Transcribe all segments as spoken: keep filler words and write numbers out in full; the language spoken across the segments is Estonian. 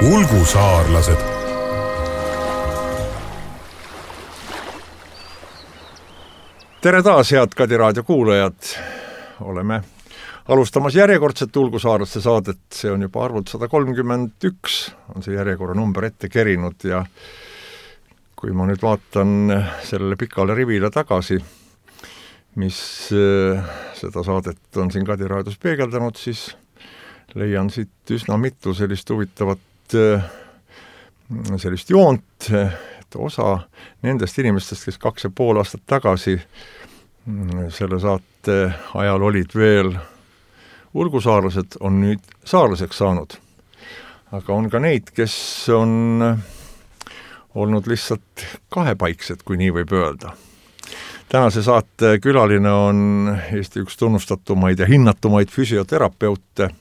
Ulgusaarlased. Tere taas, head Kadi raadio kuulajad. Oleme alustamas järjekordset Ulgusaarlaste saadet. See on juba arvult sada kolmkümmend üks, on see järjekorra number ette kerinud ja kui ma nüüd vaatan sellele pikale rivile tagasi, mis seda saadet on siin Kadi raadios peegeldanud, siis leian siit üsna mitu sellist huvitavat sellist joont, et osa nendest inimestest, kes kaks ja pool aastat tagasi selle saate ajal olid veel ulgusaarlased, on nüüd saarlaseks saanud. Aga on ka neid, kes on olnud lihtsalt kahepaiksed, kui nii võib öelda. Tänase saate külaline on Eesti üks tunnustatumaid ja hinnatumaid füsioterapeute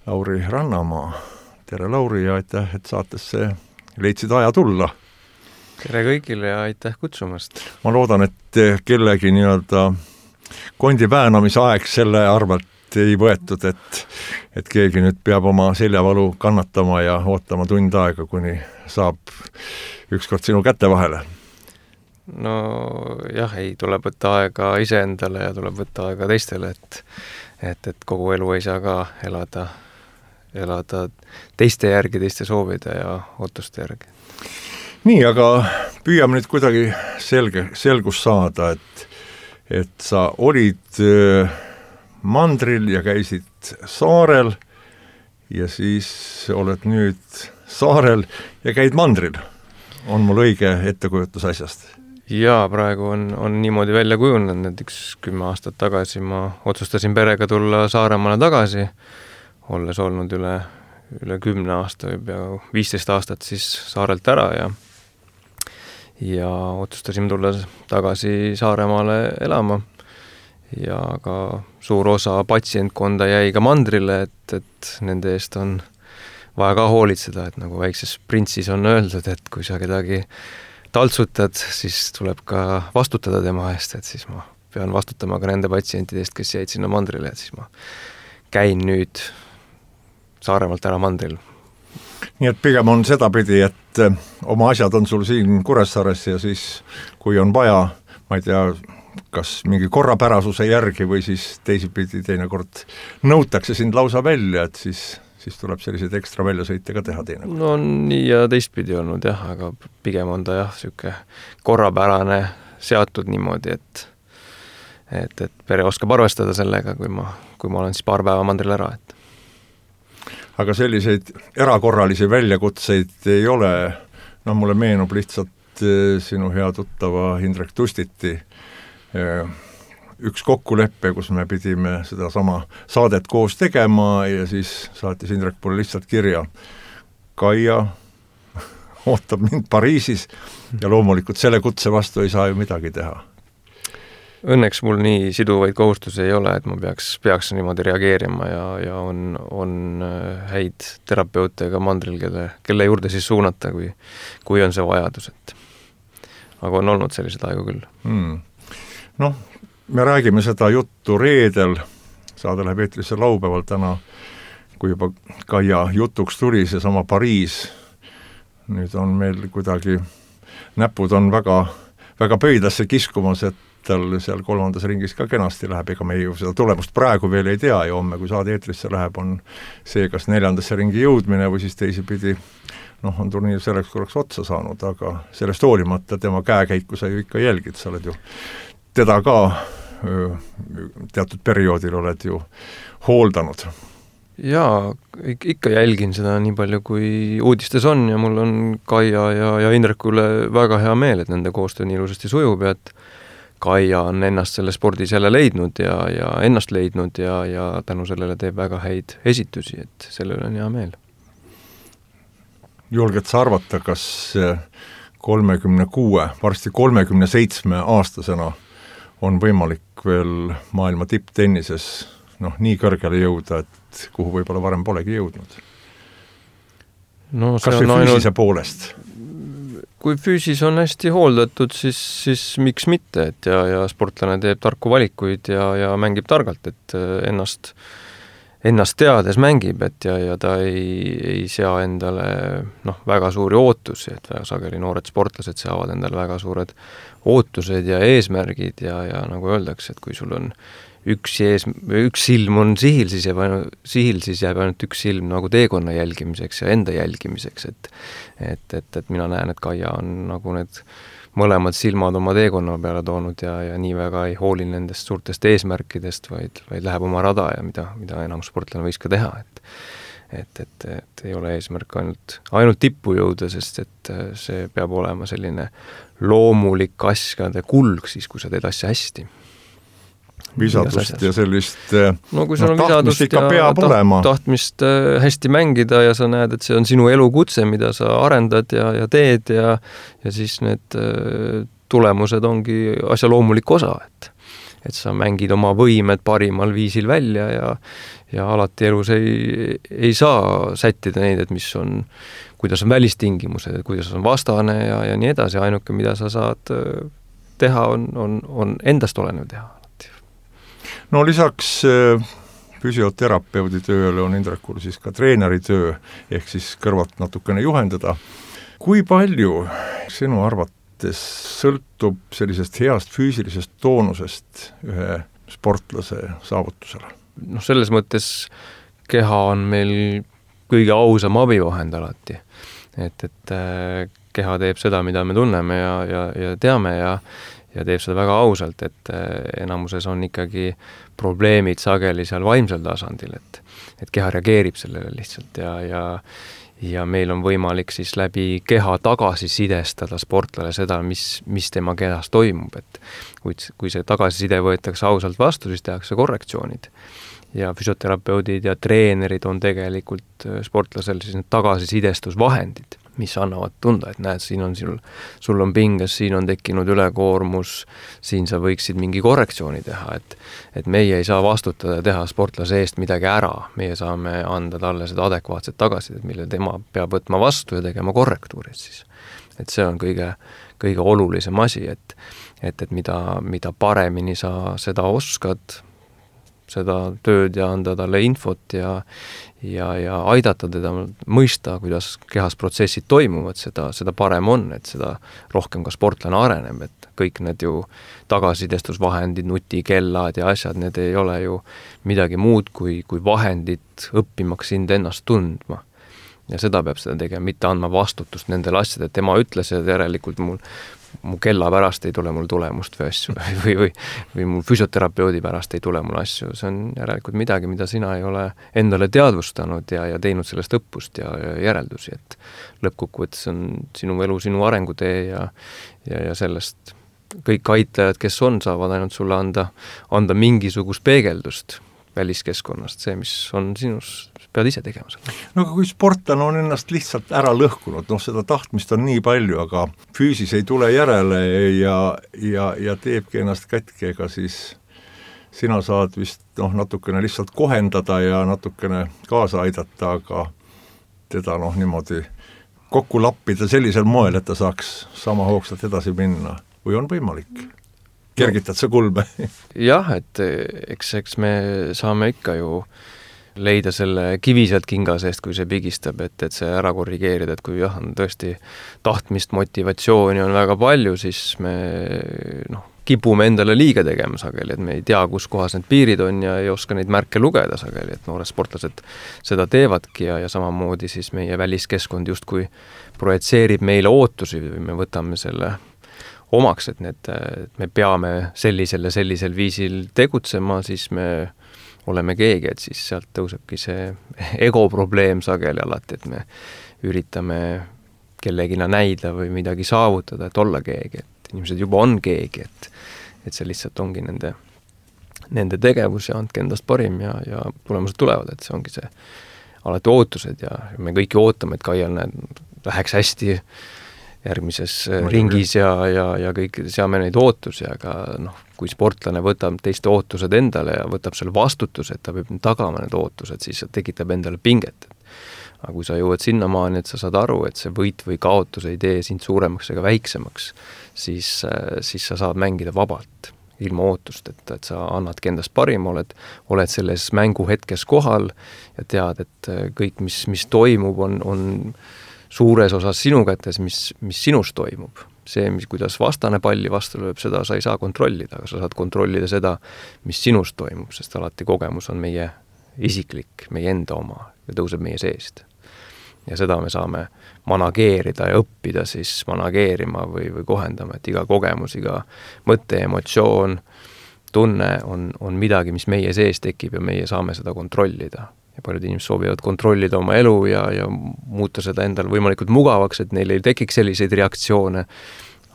Lauri Rannamaa. Tere Lauri ja aitäh, et saatesse leidsid aja tulla. Tere kõigile ja aitäh kutsumast. Ma loodan, et kellegi nii-öelda kondi väänamise aeg selle arvelt ei võetud, et, et keegi nüüd peab oma seljavalu kannatama ja ootama tund aega, kuni saab ükskord sinu kätte vahele. No jah, ei tuleb võtta aega iseendale ja tuleb võtta aega teistele, et, et, et kogu elu ei saa ka elada, elada teiste järgi, teiste soovide ja ootuste järgi. Nii, aga püüame nüüd kuidagi selge, selgus saada, et, et sa olid mandril ja käisid saarel ja siis oled nüüd saarel ja käid mandril. On mul õige ettekujutus asjast? Jaa, praegu on, on niimoodi välja kujunenud, et üks kümme aastat tagasi ma otsustasin perega tulla Saaremaale tagasi, olles olnud üle, üle kümne aasta või pea viisteist aastat siis saarelt ära ja ja otsustasin tulla tagasi Saaremaale elama ja ka suur osa patsientkonda jäi ka mandrile, et, et nende eest on vaja ka hoolitseda, et nagu väikses printsis on öeldud, et kui sa kedagi taltsutad, siis tuleb ka vastutada tema eest, et siis ma pean vastutama ka nende patsientidest, kes jäid sinna mandrile, et siis ma käin nüüd Saaremaalt ära mandril. Nii et pigem on sedapidi, et oma asjad on sul siin Kuressaares ja siis kui on vaja, ma ei tea, kas mingi korrapärasuse järgi või siis teisipidi teinekord nõutakse sind lausa välja, et siis, siis tuleb selliseid ekstra väljasõite ka teha teinekord. No nii ja teistpidi olnud jah, aga pigem on ta jah, siuke korrapärane seatud niimoodi, et, et, et pere oskab arvestada sellega, kui ma, kui ma olen siis paar päeva mandril ära, et aga selliseid erakorralisi väljakutseid ei ole. No mulle meenub lihtsalt sinu hea tuttava Indrek Tustiti üks kokkuleppe, kus me pidime seda sama saadet koos tegema ja siis saatis Indrek mulle lihtsalt kirja. Kaia ootab mind Pariisis ja loomulikult selle kutse vastu ei saa ju midagi teha. Õnneks mul nii siduvaid kohustusi ei ole, et ma peaks, peaks niimoodi reageerima ja, ja on, on häid terapeute ka mandril, kelle, kelle juurde siis suunata, kui, kui on see vajadus. Et. Aga on olnud sellised aegu küll. Hmm. Noh, me räägime seda juttu reedel, saade läheb eetrisse laupäeval täna, kui juba Kaia jutuks tuli see sama Pariis. Nüüd on meil kuidagi, näpud on väga, väga pöidlasse kiskumas, et tal seal kolmandas ringis ka kenasti läheb, ega me ju seda tulemust praegu veel ei tea ja homme, kui saade eetrisse läheb, on see, kas neljandasse ringi jõudmine või siis teisipidi, noh, on turniir selleks korraks otsa saanud, aga sellest hoolimata tema käekäiku sa ju ikka jälgid, sa oled ju teda ka teatud perioodil oled ju hooldanud. Jaa, ikka jälgin seda nii palju, kui uudistes on ja mul on Kaia ja, ja Indreku üle väga hea meel, et nende koostöö nii ilusasti sujub ja et Kaia on ennast selle spordis jälle leidnud ja, ja ennast leidnud ja, ja tänu sellele teeb väga häid esitusi, et selle üle on hea meel. Julged sa arvata, kas kolmekümne kuue, varsti kolmekümne seitsme aastasena on võimalik veel maailma tipptennises noh, nii kõrgele jõuda, et kuhu võib-olla varem polegi jõudnud? No, kas või füüsise ainult... poolest? Kui füüsis on hästi hooldatud, siis, siis miks mitte, et ja, ja sportlane teeb tarku valikuid ja, ja mängib targalt, et ennast, ennast teades mängib, et ja, ja ta ei, ei sea endale noh, väga suuri ootusi, et väga sageli noored sportlased seavad endale väga suured ootused ja eesmärgid ja, ja nagu öeldakse, et kui sul on üks, ees, üks silm on sihil, siis jääb ainult, sihil, siis jääb ainult üks silm nagu teekonna jälgimiseks ja enda jälgimiseks, et et, et, et mina näen, et Kaia on nagu need mõlemad silmad oma teekonna peale toonud ja, ja nii väga ei hooli nendest suurtest eesmärkidest, vaid, vaid läheb oma rada ja mida, mida enam sportlane võiks ka teha, et et, et, et ei ole eesmärk ainult, ainult tippu jõuda, sest et see peab olema selline loomulik asjade kulg siis, kui sa teed asja hästi. Visadust ja sellist no, kui sul no, on tahtmist ikka peab taht, olema. Tahtmist hästi mängida ja sa näed, et see on sinu elukutse, mida sa arendad ja, ja teed ja, ja siis need tulemused ongi asja loomulik osa, et, et sa mängid oma võimed parimal viisil välja ja, ja alati elus ei, ei saa sättida neid, et mis on, kuidas on välistingimused, et kuidas on vastane ja, ja nii edasi, ainuke, mida sa saad teha, on, on, on endast olenev teha. No lisaks füsioterapeudi tööle on Indrekul siis ka treeneri töö, ehk siis kõrvalt natukene juhendada. Kui palju sinu arvates sõltub sellisest heast füüsilisest toonusest ühe sportlase saavutusele? noh, selles mõttes keha on meil kõige ausam abivahend alati. Et, et keha teeb seda, mida me tunneme ja, ja, ja teame ja ja teeb seda väga ausalt, et enamuses on ikkagi probleemid sageli seal vaimsel tasandil, et, et keha reageerib sellele lihtsalt ja, ja, ja meil on võimalik siis läbi keha tagasisidestada sportlale seda, mis, mis tema kehas toimub, et kui, kui see tagasiside võetakse ausalt vastu, siis tehakse korrektsioonid. Ja füsioterapeudid ja treenerid on tegelikult sportlasel siis need tagasisidestusvahendid, mis annavad tunda, et näed, siin on sul, sul on pinges, siin on tekkinud ülekoormus, siin sa võiksid mingi korrektsiooni teha, et, et meie ei saa vastutada ja teha sportlase eest midagi ära, meie saame anda talle seda adekvaatset tagasidet, mille tema peab võtma vastu ja tegema korrektuurid siis. Et see on kõige, kõige olulisem asi, et, et, et mida, mida paremini sa seda oskad, seda tööd ja anda talle infot ja, ja, ja aidata teda mõista, kuidas kehas protsessid toimuvad, seda, seda parem on, et seda rohkem ka sportlane areneb, et kõik need ju tagasidestusvahendid, nutikellad ja asjad, need ei ole ju midagi muud kui, kui vahendid õppimaks sind ennast tundma. Ja seda peab seda tegema, mitte andma vastutust nendele asjad, et tema ütles, et järelikult mul mu kella pärast ei tule mul tulemust või asju või, või, või mul füsioterapeudi pärast ei tule mul asju. See on järelikult midagi, mida sina ei ole endale teadvustanud ja, ja teinud sellest õppust ja, ja järeldusi, et lõppkokkuvõttes on sinu elu, sinu arengutee ja, ja, ja sellest kõik aitlejad, kes on, saavad ainult sulle anda, anda mingisugust peegeldust väliskeskkonnast, see, mis on sinus, pead ise tegema seda. No aga kui sportlane on ennast lihtsalt ära lõhkunud, noh seda tahtmist on nii palju, aga füüsis ei tule järele ja, ja, ja teebki ennast kätke, ega siis sina saad vist noh, natukene lihtsalt kohendada ja natukene kaasa aidata, aga teda noh niimoodi kokku lappida sellisel moel, et ta saaks sama hoogsalt edasi minna, või on võimalik? Kergitad sa kulme? jah, et eks, eks me saame ikka ju leida selle kivi sealt kinga seest, kui see pigistab, et, et see ära korrigeerida, et kui jah, on tõesti tahtmist, motivatsiooni on väga palju, siis me noh, kipume endale liiga tegema sageli, et me ei tea, kus kohas need piirid on ja ei oska neid märke lugeda sageli, et noored sportlased seda teevadki ja, ja samamoodi siis meie väliskeskkond justkui projitseerib meile ootusi või me võtame selle omaks, et need, et me peame sellisel ja sellisel viisil tegutsema, siis me oleme keegi, et siis sealt tõusebki see ego probleem sageli alati, et me üritame kellegina näida või midagi saavutada, et olla keegi, et inimesed juba on keegi, et, et see lihtsalt ongi nende, nende tegevus ja andke endast parim ja, ja tulemused tulevad, et see ongi see alati ootused ja me kõik ju ootame, et Kaial näed, läheks hästi järgmises ringis ja, ja, ja kõik seame neid ootusi, aga noh, kui sportlane võtab teiste ootused endale ja võtab selle vastutuse, et ta peab tagama need ootused, siis see tekitab endale pinget. Aga kui sa jõuad sinnamaani, et sa saad aru, et see võit või kaotus ei tee sind suuremaks ega väiksemaks, siis, siis sa saad mängida vabalt. ilma ootust, et, et sa annadki endast parim, oled, oled selles mänguhetkes kohal ja tead, et kõik, mis, mis toimub, on, on suures osas sinu kätes, mis, mis sinus toimub. See, mis, kuidas vastane palli vastu lööb, seda sa ei saa kontrollida, aga sa saad kontrollida seda, mis sinus toimub, sest alati kogemus on meie isiklik, meie enda oma ja tõuseb meie seest. Ja seda me saame manageerida ja õppida siis manageerima või, või kohendama, et iga kogemus, iga mõte, emotsioon, tunne on, on midagi, mis meie sees tekib ja meie saame seda kontrollida. Ja paljud inimesed soovivad kontrollida oma elu ja, ja muuta seda endal võimalikult mugavaks, et neil ei tekiks selliseid reaktsioone,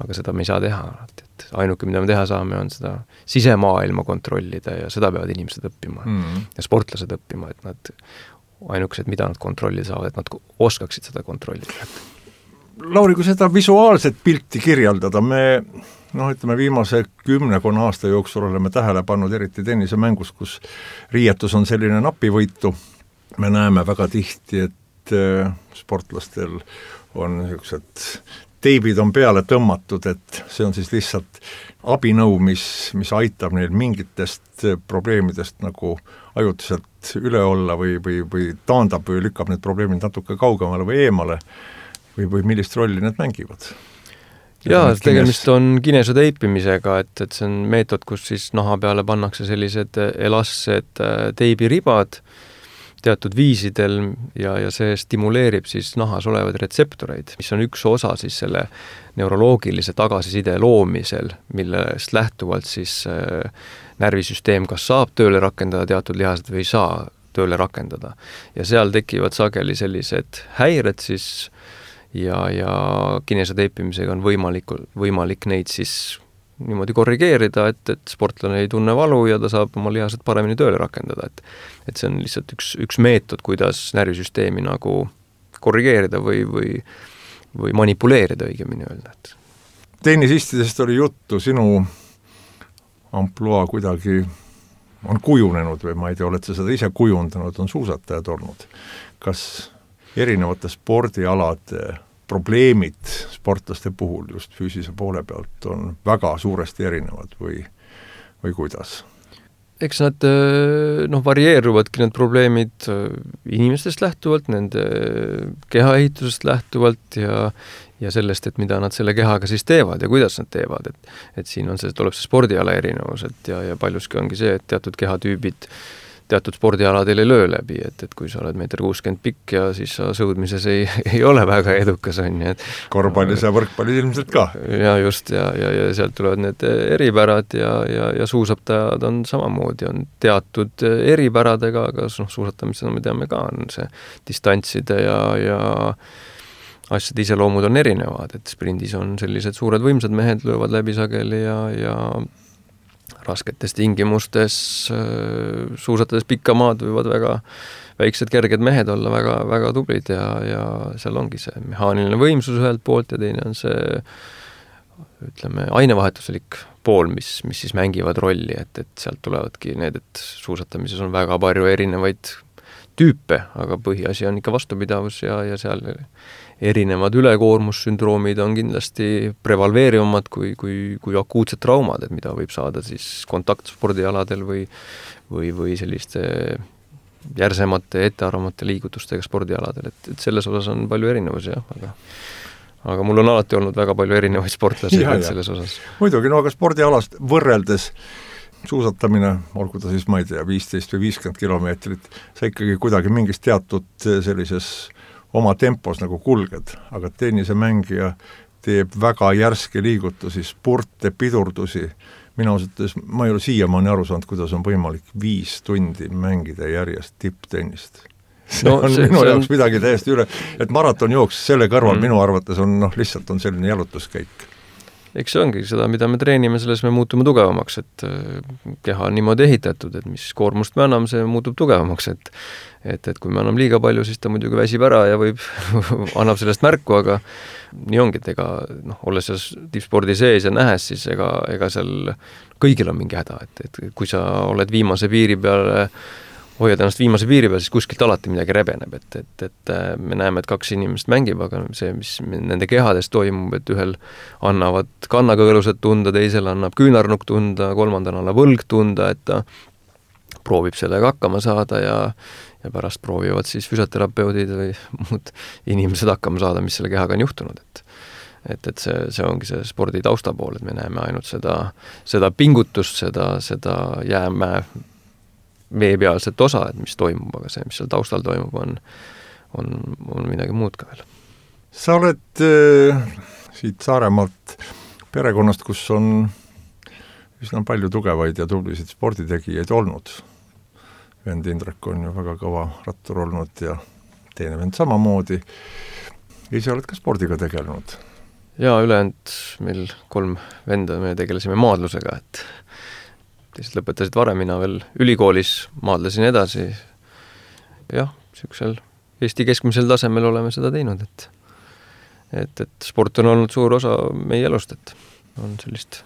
aga seda me ei saa teha. Et ainuke, mida me teha saame, on seda sisemaailma kontrollida ja seda peavad inimesed õppima mm. ja sportlased õppima, et nad ainukesed, mida nad kontrollida saavad, et nad oskaksid seda kontrollida. Lauri, kui seda visuaalset pilti kirjeldada, me noh, ütleme viimase kümnekonna aasta jooksul oleme tähele pannud eriti tennisemängus, kus riietus on selline napivõitu. Me näeme väga tihti, et sportlastel on niisugused teibid on peale tõmmatud, et see on siis lihtsalt abinõu, mis, mis aitab neil mingitest probleemidest nagu ajutiselt üle olla või, või, või taandab või lükkab need probleemid natuke kaugemale või eemale või, või millist rolli need mängivad. Jaa, tegemist on kinesoteipimisega, et, et see on meetod, kus siis naha peale pannakse sellised elastsed teibiribad teatud viisidel ja, ja see stimuleerib siis nahas olevaid retseptoreid, mis on üks osa siis selle neuroloogilise tagasiside loomisel, millest lähtuvalt siis äh, närvisüsteem kas saab tööle rakendada teatud lihased või ei saa tööle rakendada. Ja seal tekivad sageli sellised häired siis ja, ja kinesoteipimisega on võimalik, võimalik neid siis niimoodi korrigeerida, et, et sportlane ei tunne valu ja ta saab oma lihased paremini tööle rakendada. Et, et see on lihtsalt üks, üks meetod, kuidas närvisüsteemi nagu korrigeerida või, või, või manipuleerida õigemini öelda. Et. Tennisistidest oli juttu, sinu ampluaa kuidagi on kujunenud või ma ei tea, oled sa seda ise kujundanud, on suusatajad olnud. Kas erinevate spordialade probleemid sportlaste puhul just füüsise poole pealt on väga suuresti erinevad või, või kuidas? Eks nad noh, varieeruvadki need probleemid inimestest lähtuvalt, nende kehaehitusest lähtuvalt ja, ja sellest, et mida nad selle kehaga siis teevad ja kuidas nad teevad. Et, et siin on see, tuleb see spordiala erinevus, et ja, ja paljuski ongi see, et teatud kehatüübid teatud spordialadel ei löö läbi, et, et kui sa oled meeter kuuskümmend pikk ja siis sa sõudmises ei, ei ole väga edukas, on ju. Korvpallis ja võrkpallis ilmselt ka. Ja just, ja, ja, ja sealt tulevad need eripärad ja, ja, ja suusatajad on samamoodi, on teatud eripäradega, aga noh, suusatamisena me teame ka, on see distantside ja, ja asjade iseloomud on erinevad, et sprindis on sellised suured võimsad mehed, löövad läbi sageli ja, ja rasketes tingimustes suusatades pikka maad võivad väga väiksed kerged mehed olla väga, väga tublid ja, ja seal ongi see mehaaniline võimsus ühelt poolt ja teine on see ütleme ainevahetuslik pool, mis, mis siis mängivad rolli, et, et sealt tulevadki need, et suusatamises on väga palju erinevaid tüüpe, aga põhiasi on ikka vastupidavus ja, ja seal erinevad ülekoormussündroomid on kindlasti prevalveerivamad kui, kui, kui akuutsed traumad, et mida võib saada siis kontaktspordialadel või, või, või selliste järsemate, ettearvamate liigutustega spordialadel, et, et selles osas on palju erinevusi, jah, aga aga mul on alati olnud väga palju erinevaid sportlasi ja, ja. selles osas. Muidugi, no aga spordialast võrreldes suusatamine, olgu ta siis, ma ei tea, viisteist või viiskümmend kilomeetrit, sa ikkagi kuidagi mingis teatud sellises oma tempos nagu kulged, aga tennisemängija teeb väga järske liigutusi, spurte, pidurdusi. Mina ausalt, ma ei ole siiamaani aru saanud, kuidas on võimalik viis tundi mängida järjest tipptennist. See no, on see, minu see jaoks on... midagi täiesti üle, et maratonjooks selle kõrval mm. minu arvates on noh, lihtsalt on selline jalutuskäik. Eks see ongi seda, mida me treenime, selles me muutume tugevamaks, et keha on niimoodi ehitatud, et mis koormust me anname, see muutub tugevamaks, et et, et kui me anname liiga palju, siis ta muidugi väsib ära ja võib, annab sellest märku, aga nii ongi, et ega noh, olles selles tippspordi sees ja nähes, siis ega, ega seal kõigil on mingi häda, et, et kui sa oled viimase piiri peale hoiad ennast viimase piiri peal, siis kuskilt alati midagi rebeneb, et, et, et me näeme, et kaks inimest mängib, aga see, mis nende kehades toimub, et ühel annavad kannakõõlused tunda, teisel annab küünarnukk tunda, kolmandal annab võlg tunda, et ta proovib sellega hakkama saada ja, ja pärast proovivad siis füsioterapeudid või muud inimesed hakkama saada, mis selle kehaga on juhtunud, et et, et see, see ongi see spordi tausta pool, et me näeme ainult seda, seda pingutust, seda, seda jäämäe veepealset osa, et mis toimub, aga see, mis seal taustal toimub, on, on, on midagi muud ka veel. Sa oled äh, siit Saaremaalt perekonnast, kus on üsna palju tugevaid ja tublisid sporditegijaid olnud. Vend Indrek on ju väga kõva rattur olnud ja teine vend samamoodi. Ise oled ka spordiga tegelenud? Jaa, ülejäänud meil kolm venda, me tegelesime maadlusega, et teised lõpetasid varem, mina veel ülikoolis maadlesin edasi. Jah, niisugusel Eesti keskmisel tasemel oleme seda teinud, et, et, et sport on olnud suur osa meie elust, et on sellist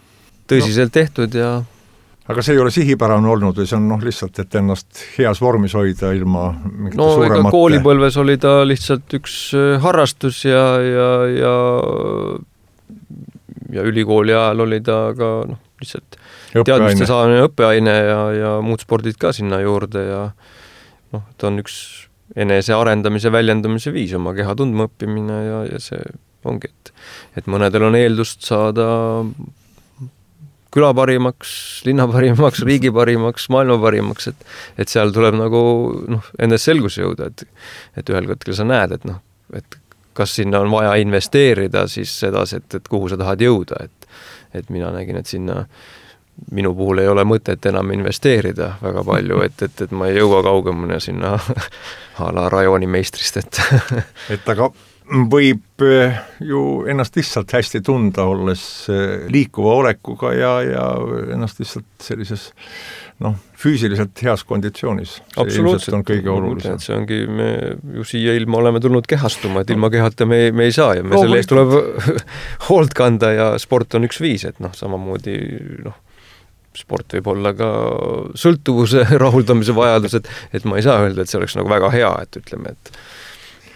tõsiselt no. tehtud ja aga see ei ole sihipärane olnud või see on noh, lihtsalt, et ennast heas vormis hoida ilma mingite no, suuremate... No ega koolipõlves oli ta lihtsalt üks harrastus ja, ja, ja, ja ülikooli ajal oli ta ka noh, lihtsalt teadmiste saamine õppeaine ja, ja muud spordid ka sinna juurde ja noh, ta on üks enese arendamise, väljendamise viis, oma keha tundma õppimine ja, ja see ongi, et, et mõnedel on eeldust saada küla parimaks, linna parimaks, riigi parimaks, maailma parimaks, et, et seal tuleb nagu noh, endas selguse jõuda, et, et ühel hetkel sa näed, et noh, et kas sinna on vaja investeerida siis sedasi, et, et kuhu sa tahad jõuda, et, et mina nägin, et sinna minu puhul ei ole mõtet enam investeerida väga palju, et, et, et ma ei jõua kaugemale sinna a la rajooni meistrist, et et aga võib ju ennast lihtsalt hästi tunda, olles liikuva olekuga ja, ja ennast lihtsalt sellises noh, füüsiliselt heas konditsioonis. Absoluutselt. On kõige olulisem. See ongi, me ju siia ilma oleme tulnud kehastuma, et ilma kehata me, me ei saa ja me no, selle eest tuleb hoolt kanda ja sport on üks viis, et noh, samamoodi noh, sport võib olla ka sõltuvuse rahuldamise vajadus, et, et ma ei saa öelda, et see oleks nagu väga hea, et ütleme, et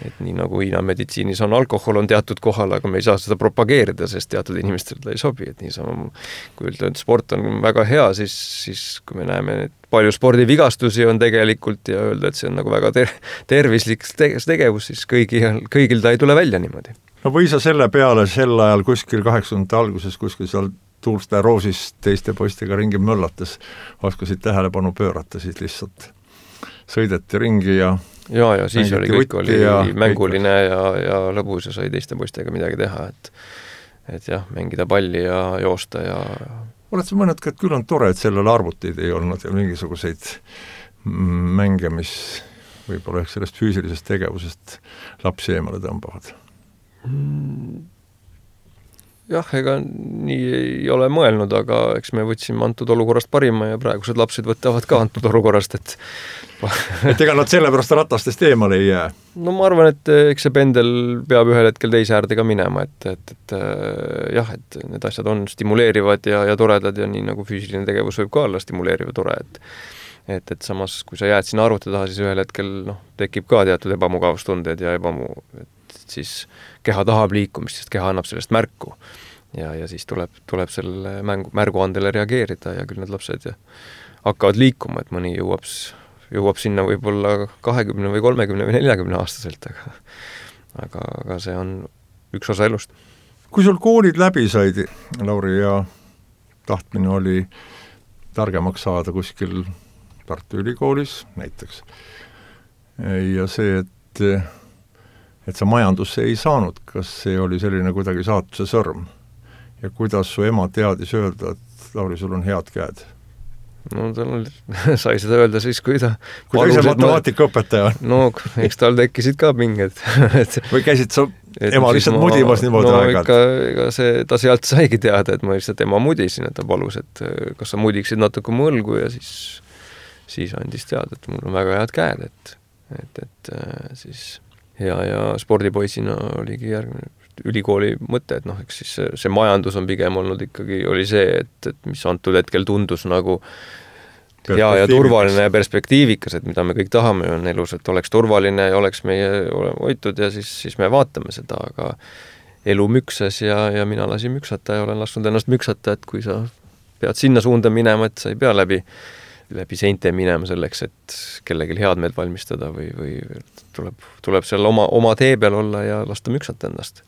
et nii nagu Hiina meditsiinis on alkohol on teatud kohal, aga me ei saa seda propageerida, sest teatud inimestel ta ei sobi, et nii sama, kui öelda, et sport on väga hea, siis, siis kui me näeme, et palju spordivigastusi on tegelikult ja öelda, et see on nagu väga ter- tervislik tegevus, siis kõigil, kõigil ta ei tule välja niimoodi. No või sa selle peale sel ajal kuskil kaheksakümnendate alguses kuskil seal Tuulste Roosis teiste poistega ringi möllates oskasid tähelepanu pöörata, siis lihtsalt sõideti ringi ja ja, ja siis oli kõik oli ja mänguline ja, ja lõbus ja sai teiste poistega midagi teha, et et jah, mängida palli ja joosta ja oled sa mõned ka, et küll on tore, et sellele arvutid ei olnud ja mingisuguseid mänge, mis võib-olla ehk sellest füüsilisest tegevusest lapsi eemale tõmbavad? Jah, ega nii ei ole mõelnud, aga eks me võtsime antud olukorrast parima ja praegused lapsed võtavad ka antud olukorrast, et et ega nad sellepärast ratastest eemale ei jää? No ma arvan, et eks see pendel peab ühel hetkel teise äärde ka minema, et, et, et jah, et need asjad on stimuleerivad ja, ja toredad ja nii nagu füüsiline tegevus võib ka olla stimuleeriv ja tore, et et, et samas, kui sa jääd sinna arvuti taha, siis ühel hetkel noh, tekib ka teatud ebamugavustunded ja ebamu, et siis keha tahab liikumist, sest keha annab sellest märku ja, ja siis tuleb, tuleb selle mängu, märguandele reageerida ja küll need lapsed ja hakkavad liikuma, et mõni jõuab, jõuab sinna võib-olla kahekümne või kolmekümne või neljakümne aastaselt, aga, aga, aga see on üks osa elust. Kui sul koolid läbi said, Lauri, ja tahtmine oli targemaks saada kuskil Tartu Ülikoolis näiteks ja see, et et sa majandusse ei saanud, kas see oli selline kuidagi saatuse sõrm? Ja kuidas su ema teadis öelda, et Lauri, sul on head käed? No tal oli, sai seda öelda siis, kui ta kui ta ise matemaatikaõpetaja on. No, eks tal tekkisid ka pinged. et, või käisid sa ema lihtsalt ma, mudimas niimoodi no, aegalt? No ikka see, ta sealt saigi teada, et ma lihtsalt ema mudisin, et ta palus, et kas sa mudiksid natuke mu õlgu ja siis, siis andis teada, et mul on väga head käed, et, et, et siis ja, ja spordipoisina oligi järgmine ülikooli mõte, et noh, eks siis see, see majandus on pigem olnud ikkagi, oli see, et, et mis antud hetkel tundus nagu ja, ja turvaline ja perspektiivikas, et mida me kõik tahame on elus, et oleks turvaline ja oleks meie hoitud ja siis, siis me vaatame seda, aga elu müksas ja, ja mina lasin müksata ja olen lasknud ennast müksata, et kui sa pead sinna suunda minema, et sa ei pea läbi, läbi seinte minema selleks, et kellelgi head meelt valmistada või, või tuleb, tuleb seal oma, oma tee peal olla ja lasta müksata ennast.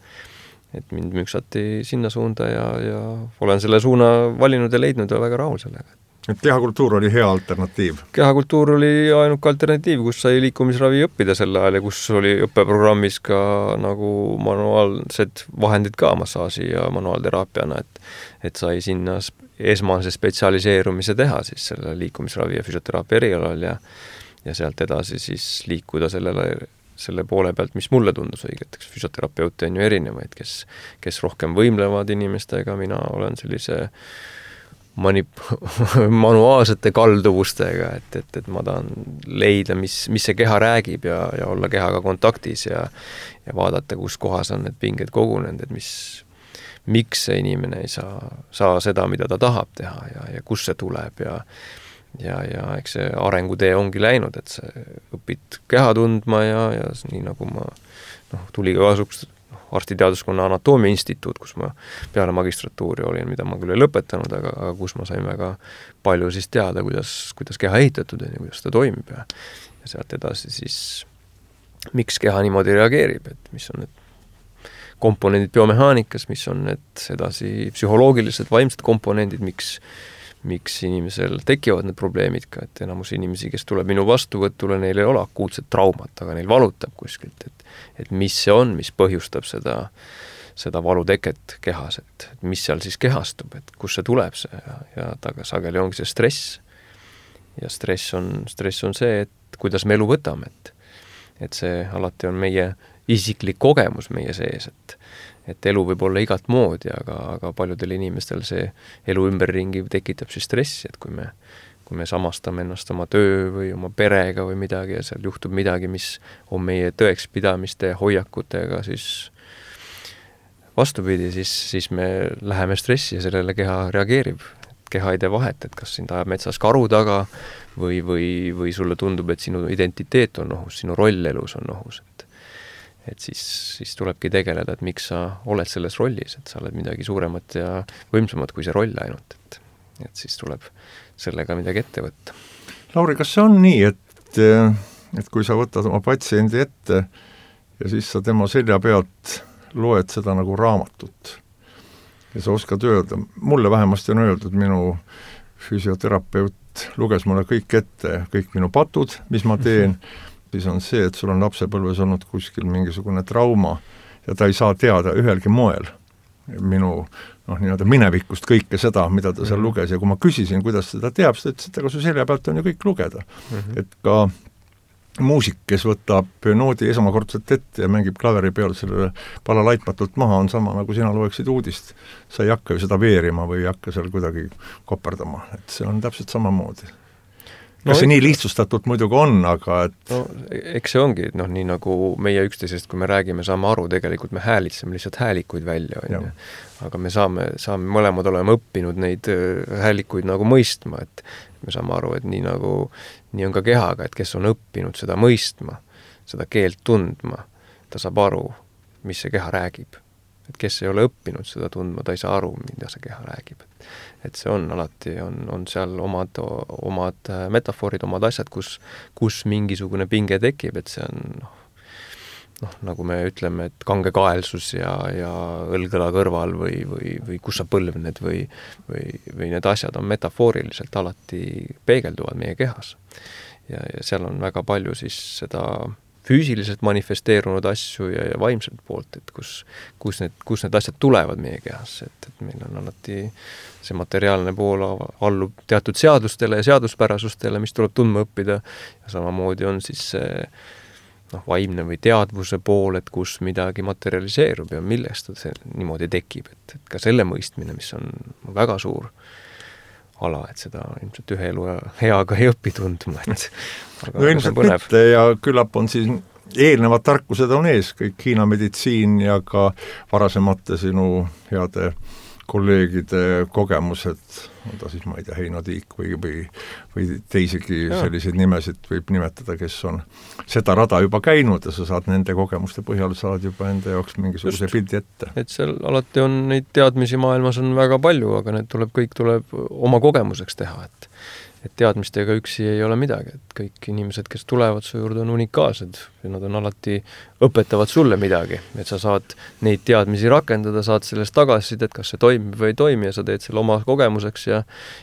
Et mind müksati sinna suunda ja, ja olen selle suuna valinud ja leidnud ja väga rahul sellega. Et kehakultuur oli hea alternatiiv? Kehakultuur oli ainuke alternatiiv, kus sai liikumisravi õppida sel ajal ja kus oli õppeprogrammis ka nagu manuaalsed vahendid ka massaaži ja manuaalteraapiana, et, et sai sinna esmase spetsialiseerumise teha siis selle liikumisravi ja füsioteraapia erialal ja, ja sealt edasi siis liikuda sellele selle poole pealt, mis mulle tundus õigeteks. Füsioterapeute on ju erinevaid, kes, kes rohkem võimlevad inimestega, mina olen sellise manip- manuaalsete kalduvustega, et, et, et ma tahan leida, mis, mis see keha räägib ja, ja olla kehaga kontaktis ja, ja vaadata, kus kohas on need pinged kogunenud, et mis, miks see inimene ei saa, saa seda, mida ta tahab teha ja, ja kus see tuleb ja ja, ja eks see arengutee ongi läinud, et sa õpid keha tundma ja, ja nii nagu ma noh, tuli ka kasuks noh, arstiteaduskonna anatoomia instituut, kus ma peale magistratuuri olin, mida ma küll ei lõpetanud, aga, aga kus ma sain väga palju siis teada, kuidas, kuidas keha ehitatud on ja kuidas ta toimib ja, ja sealt edasi siis miks keha niimoodi reageerib, et mis on need komponendid biomehaanikas, mis on need edasi psühholoogilised, vaimsed komponendid, miks miks inimesel tekivad need probleemid ka, et enamus inimesi, kes tuleb minu vastuvõtule, neil ei ole akuutset traumat, aga neil valutab kuskilt, et, et mis see on, mis põhjustab seda, seda valuteket kehas, et mis seal siis kehastub, et kus see tuleb see ja, ja taga sageli ongi see stress. Ja stress on, stress on see, et kuidas me elu võtame, et, et see alati on meie isiklik kogemus meie sees, et et elu võib olla igat moodi, aga, aga paljudel inimestel see elu ümberringi tekitab siis stressi, et kui me, kui me samastame ennast oma töö või oma perega või midagi ja seal juhtub midagi, mis on meie tõekspidamiste hoiakutega, siis vastupidi, siis, siis me läheme stressi ja sellele keha reageerib. Keha ei tee vahet, et kas sind ajab metsas karu taga või, või, või sulle tundub, et sinu identiteet on ohus, sinu roll elus on ohus, et et siis, siis tulebki tegeleda, et miks sa oled selles rollis, et sa oled midagi suuremat ja võimsamat kui see roll ainult, et, et siis tuleb sellega midagi ette võtta. Lauri, kas see on nii, et, et kui sa võtad oma patsiendi ette ja siis sa tema selja pealt loed seda nagu raamatut ja sa oskad öelda, mulle vähemasti on öeldud, minu füsioterapeut luges mulle kõik ette, kõik minu patud, mis ma teen, siis on see, et sul on lapsepõlves olnud kuskil mingisugune trauma ja ta ei saa teada ühelgi moel minu noh, nii-öelda minevikust kõike seda, mida ta seal mm-hmm. luges ja kui ma küsisin, kuidas seda teab, siis ta ütles, et aga su selja pealt on ju kõik lugeda. Mm-hmm. Et ka muusik, kes võtab noodi esmakordselt ette ja mängib klaveri peal selle pala laitmatult maha, on sama nagu sina loeksid uudist. Sa ei hakka ju seda veerima või ei hakka seal kuidagi koperdama, et see on täpselt samamoodi. Kas no, see nii lihtsustatult muidugi on, aga et... No, eks see ongi, noh, nii nagu meie üksteisest, kui me räägime, saame aru, tegelikult me häälitseme lihtsalt häälikuid välja, on ju. Aga me saame, saame mõlemad olema õppinud neid häälikuid nagu mõistma, et me saame aru, et nii nagu, nii on ka kehaga, et kes on õppinud seda mõistma, seda keelt tundma, ta saab aru, mis see keha räägib. Et kes ei ole õppinud seda tundma, ta ei saa aru, mida see keha räägib. Et see on alati, on, on seal omad, omad metafoorid, omad asjad, kus, kus mingisugune pinge tekib, et see on noh, noh, nagu me ütleme, et kangekaelsus ja, ja õlgõla kõrval või, või, või kus sa põlvned või, või, või need asjad on metafooriliselt alati peegelduvad meie kehas. Ja, ja seal on väga palju siis seda füüsiliselt manifesteerunud asju ja, ja vaimselt poolt, et kus, kus, need, kus need asjad tulevad meie kehasse, et, et meil on alati see materiaalne pool allub teatud seadustele ja seaduspärasustele, mis tuleb tundma õppida ja samamoodi on siis see noh, vaimne või teadvuse pool, et kus midagi materialiseerub ja millest see niimoodi tekib, et, et ka selle mõistmine, mis on väga suur ala, et seda ilmselt ühe elu heaga ei õpi tundma, et aga no ilmselt mitte ja küllap on siis eelnevad tarkused on ees, kõik Hiina meditsiin ja ka varasemate sinu heade kolleegide kogemused on ta siis, ma ei tea, Heino Tiik või, või, või teisigi ja. selliseid nimesid võib nimetada, kes on seda rada juba käinud ja sa saad nende kogemuste põhjal saad juba enda jaoks mingisuguse pildi ette. Et seal alati on neid teadmisi maailmas on väga palju, aga need tuleb, kõik tuleb oma kogemuseks teha, et et teadmistega üksi ei ole midagi, et kõik inimesed, kes tulevad su juurde, on unikaalsed ja nad on alati, õpetavad sulle midagi, et sa saad neid teadmisi rakendada, saad sellest tagasisidet, kas see toimib või ei toimi ja sa teed selle oma kogemuseks ja,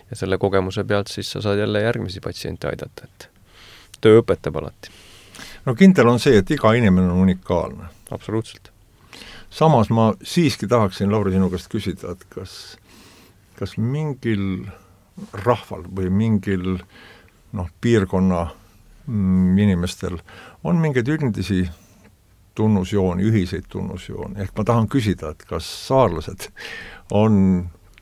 ja selle kogemuse pealt siis sa saad jälle järgmisi patsiente aidata, et töö õpetab alati. No kindel on see, et iga inimene on unikaalne. Absoluutselt. Samas ma siiski tahaksin, Lauri, sinu käest küsida, et kas, kas mingil rahval või mingil noh, piirkonna mm, inimestel on mingeid üldisi tunnusjooni, ühiseid tunnusjooni. Ehk ma tahan küsida, et kas saarlased on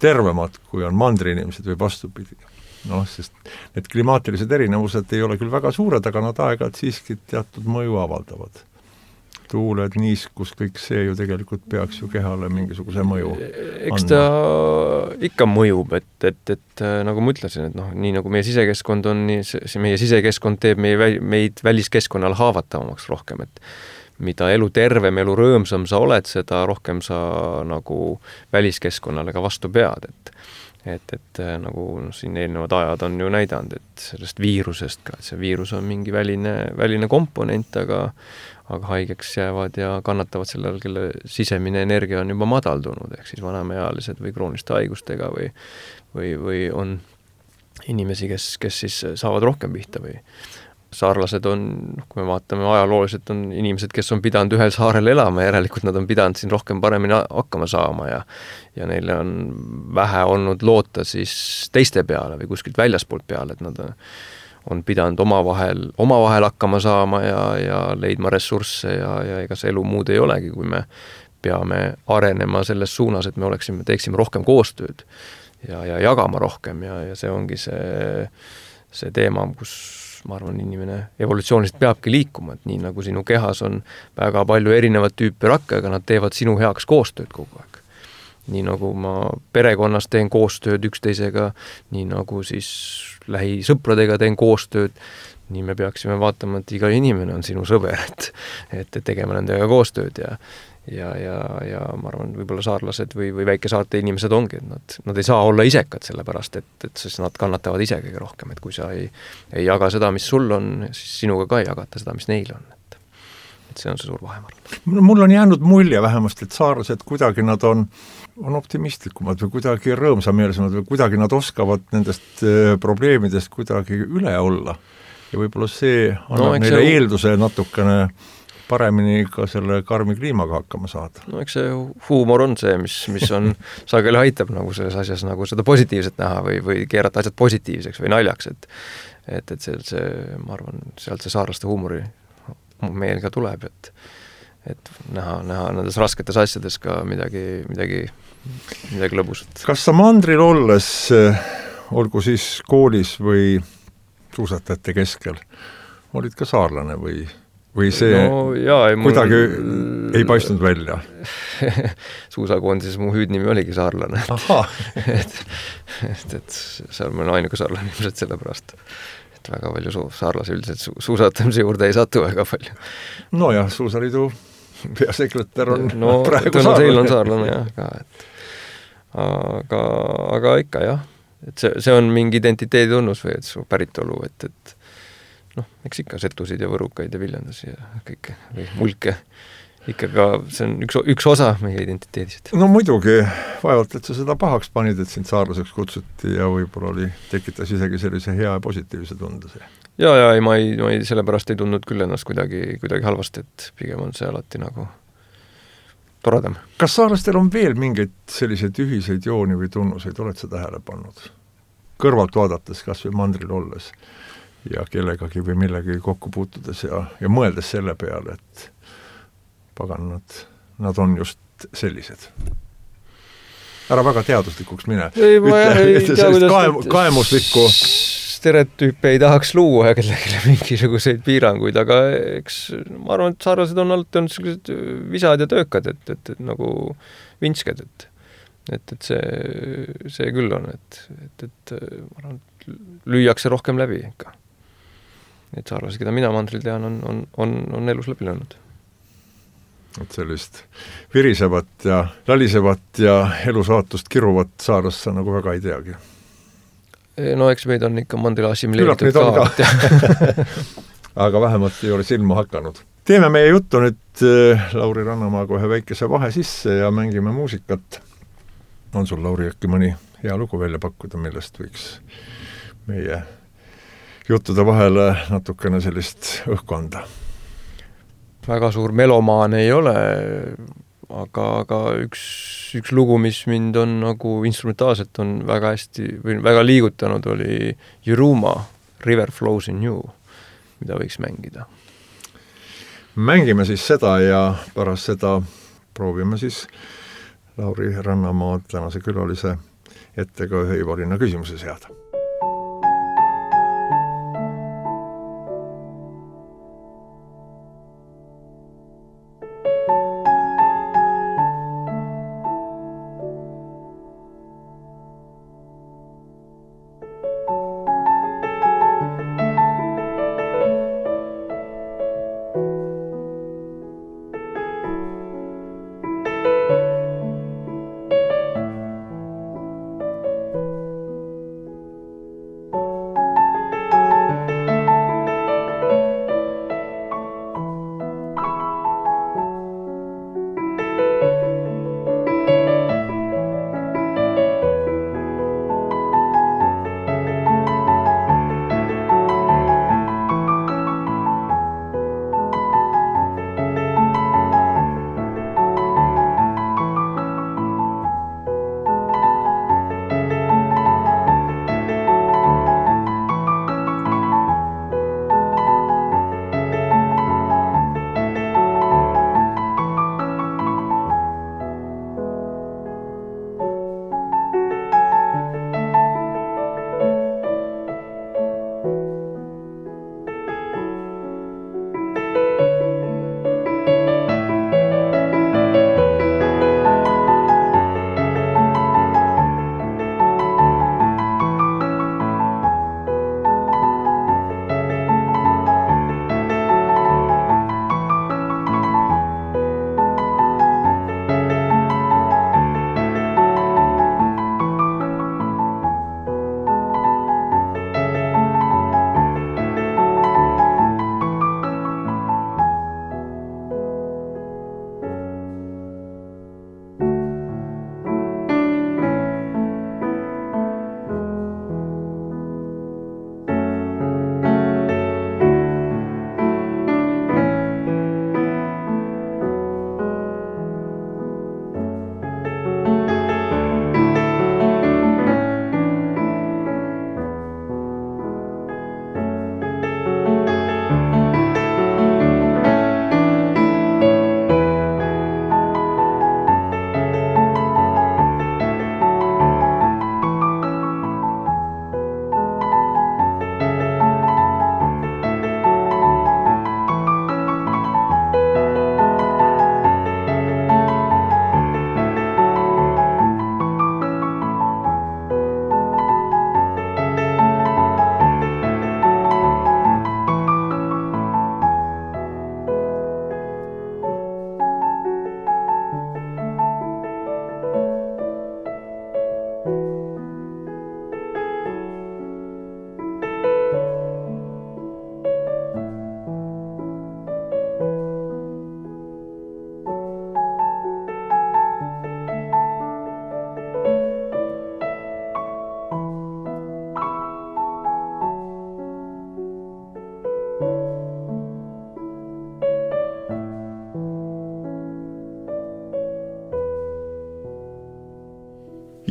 tervemad, kui on mandriinimesed või vastupidi. Noh, sest need klimaatilised erinevused ei ole küll väga suured, aga nad aeg-ajalt siiski teatud mõju avaldavad. Tuuled, niiskus, kõik see ju tegelikult peaks ju kehale mingisuguse mõju Eks ta andma. Ikka mõjub, et, et, et nagu ma ütlesin, et noh, nii nagu meie sisekeskkond on, nii see, meie sisekeskkond teeb meie, meid väliskeskkonnal haavatavamaks rohkem, et mida elu tervem, elu rõõmsam sa oled, seda rohkem sa nagu väliskeskkonnale ka vastu pead, et et, et nagu no, siin eelnevad ajad on ju näidanud, et sellest viirusest ka, et see viirus on mingi väline, väline komponent, aga aga haigeks jäävad ja kannatavad sellel, kelle sisemine energia on juba madaldunud, ehk siis vanemaealised või krooniste haigustega või, või, või on inimesi, kes, kes siis saavad rohkem pihta või saarlased on, kui me vaatame ajalooliselt, on inimesed, kes on pidanud ühel saarel elama, järelikult nad on pidanud siin rohkem paremini hakkama saama ja, ja neile on vähe olnud loota siis teiste peale või kuskilt väljaspoolt peale, et nad on on pidanud omavahel, omavahel hakkama saama ja, ja leidma ressursse ja, ja ega see elu muud ei olegi, kui me peame arenema selles suunas, et me oleksime, teeksime rohkem koostööd ja, ja jagama rohkem ja, ja see ongi see, see teema, kus ma arvan, inimene evolutsiooniliselt peabki liikuma, et nii nagu sinu kehas on väga palju erinevat tüüpi rakke, aga nad teevad sinu heaks koostööd kogu aeg. Nii nagu ma perekonnas teen koostööd üksteisega, nii nagu siis lähisõpradega teen koostööd, nii me peaksime vaatama, et iga inimene on sinu sõber, et, et tegema nendega koostööd ja, ja, ja, ja ma arvan, võib-olla saarlased või, või väikesaarte inimesed ongi, et nad, nad ei saa olla isekad sellepärast, et, et siis nad kannatavad ise kõige rohkem, et kui sa ei, ei jaga seda, mis sul on, siis sinuga ka ei jagata seda, mis neil on. Et, et see on see suur vahe, ma arvan. Mul on jäänud mulje vähemasti, et saarlased kuidagi nad on on optimistlikumad või kuidagi rõõmsameelsemad või kuidagi nad oskavad nendest probleemidest kuidagi üle olla. Ja võib-olla see annab no, neile see... eelduse natukene paremini ka selle karmi kliimaga hakkama saada. No eks see huumor on see, mis, mis on sageli aitab nagu selles asjas nagu seda positiivset näha või, või keerata asjad positiivseks või naljaks, et et, et see, see, ma arvan, sealt see saarlaste huumori meel ka tuleb, et et näha, näha nendes rasketes asjades ka midagi, midagi, midagi lõbusat. Kas sa mandril olles, olgu siis koolis või suusatajate keskel, olid ka saarlane või, või see no, jaa, ei, kuidagi mul... ei paistnud välja? Suusakoondises mu hüüdnimi oligi saarlane. et, et, et seal ma olen ainuke saarlane ilmselt sellepärast. Et väga palju su- saarlasi üldiselt su- suusatamise juurde ei satu väga palju. No jah, Suusaliidu peasekretär on no, praegu saarlane. Teil on saarlane jah ka, et aga, aga ikka jah, et see, see on mingi identiteedi tunnus või et su päritolu, et, et noh, eks ikka setusid ja võrukaid ja viljandusi ja kõike või mulke ikka ka, see on üks, üks osa meie identiteedist. No muidugi, vaevalt, et sa seda pahaks panid, et sind saarlaseks kutsuti ja võib-olla oli, tekitas isegi sellise hea ja positiivse tunde see. Ja, ja ei, ma ei, ma ei, sellepärast ei tundnud küll ennast kuidagi, kuidagi halvasti, et pigem on see alati nagu toredam. Kas saarlastel on veel mingeid selliseid ühiseid jooni või tunnuseid, oled sa tähele pannud? Kõrvalt vaadates, kas või mandril olles ja kellegagi või millegi kokku puutudes ja, ja mõeldes selle peale, et pagan, nad, nad on just sellised. Ära väga teaduslikuks mine. Ei, ma Ütle, ei tea, kuidas kaem, kaemuslikku stereotüüpe ei tahaks luua ja kellelegi mingisuguseid piiranguid, aga eks ma arvan, et saarlased on alati olnud sellised visad ja töökad, et, et, et nagu vinsked, et et, et see, see küll on, et, et, et ma arvan, et lüüakse rohkem läbi ikka. Et saarlasi, keda mina mandril tean, on, on, on, on elus läbi löönud. Et sellist virisevat ja lalisevat ja elusaatust kiruvat saarlast sa nagu väga ei teagi. No eks meid on ikka mandril assimileeritud ka. ka. Aga vähemalt ei ole silma hakanud. Teeme meie juttu nüüd Lauri Rannamaaga ühe väikese vahe sisse ja mängime muusikat. On sul, Lauri, äkki mõni hea lugu välja pakkuda, millest võiks meie juttude vahele natukene sellist õhku anda? Väga suur melomaan ei ole, aga, aga üks, üks lugu, mis mind on nagu instrumentaalselt on väga hästi või väga liigutanud, oli Juruma River Flows in You, mida võiks mängida. Mängime siis seda ja pärast seda proovime siis Lauri Rannamaa tänase külalise ettega ühe Ivarina küsimuse seada.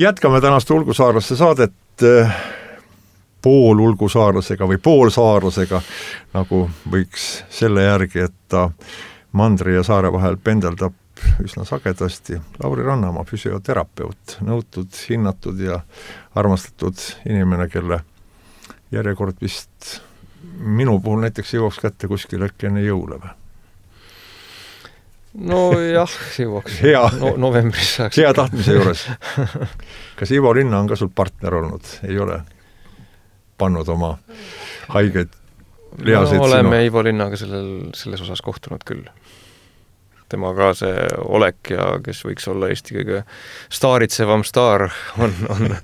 Jätkame tänast ulgusaarlaste saadet pool ulgusaarlasega või poolsaarlasega, nagu võiks selle järgi, et ta mandri ja saare vahel pendeldab üsna sagedasti. Lauri Rannamaa, füsioterapeut, nõutud, hinnatud ja armastatud inimene, kelle järjekord vist minu puhul näiteks jõuaks kätte kuskil äkki enne jõule või? no jah, jõuaks. Hea, no, novembris saaks. Hea tahtmise juures. Kas Ivo Linna on ka sul partner olnud? Ei ole pannud oma haigeid lihaseid no, oleme sinu? Ivo Linnaga sellel, selles osas kohtunud küll. Tema ka see olek ja kes võiks olla Eesti kõige staaritsevam staar on, on,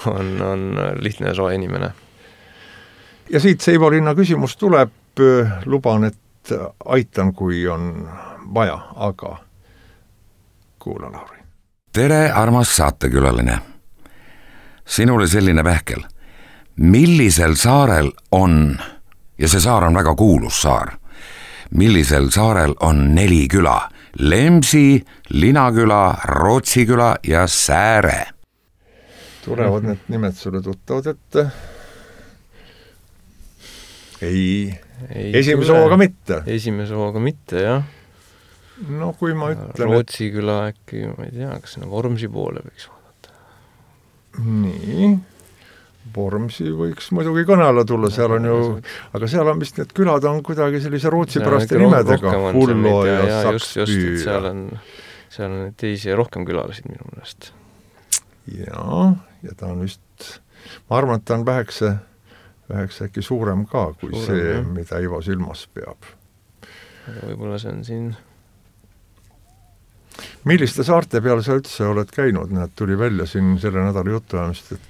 on, on lihtne ja soe inimene. Ja siit see Ivo Linna küsimus tuleb, luban, et aitan, kui on vaja, aga kuula, Lauri. Tere, armas saatekülaline. Sinule selline pähkel. Millisel saarel on, ja see saar on väga kuulus saar, millisel saarel on neli küla? Lemsi, Linaküla, Rootsiküla ja Sääre. Tulevad need nimed sulle tuttavad ette? Ei, ei esimese hooga mitte. Esimese hooga mitte, jah. No kui ma ütlen... Rootsiküla äkki, ma ei tea, kas sinna Vormsi poole võiks vaadata. Nii... Vormsi võiks muidugi kõnele tulla, seal on ju, aga seal on vist need külad on kuidagi sellise rootsipäraste nimedega, Hullo ja, ja Sakspüü. Seal on, seal on teisi ja rohkem külalasid minu mõnest. Ja, ja ta on vist, ma arvan, et ta on vähekse, vähekse äkki suurem ka, kui suurem, see, jah. Mida Ivo silmas peab. Aga võib-olla see on siin... Milliste saarte peale sa üldse oled käinud? Need tuli välja siin selle nädala jutuajamist, et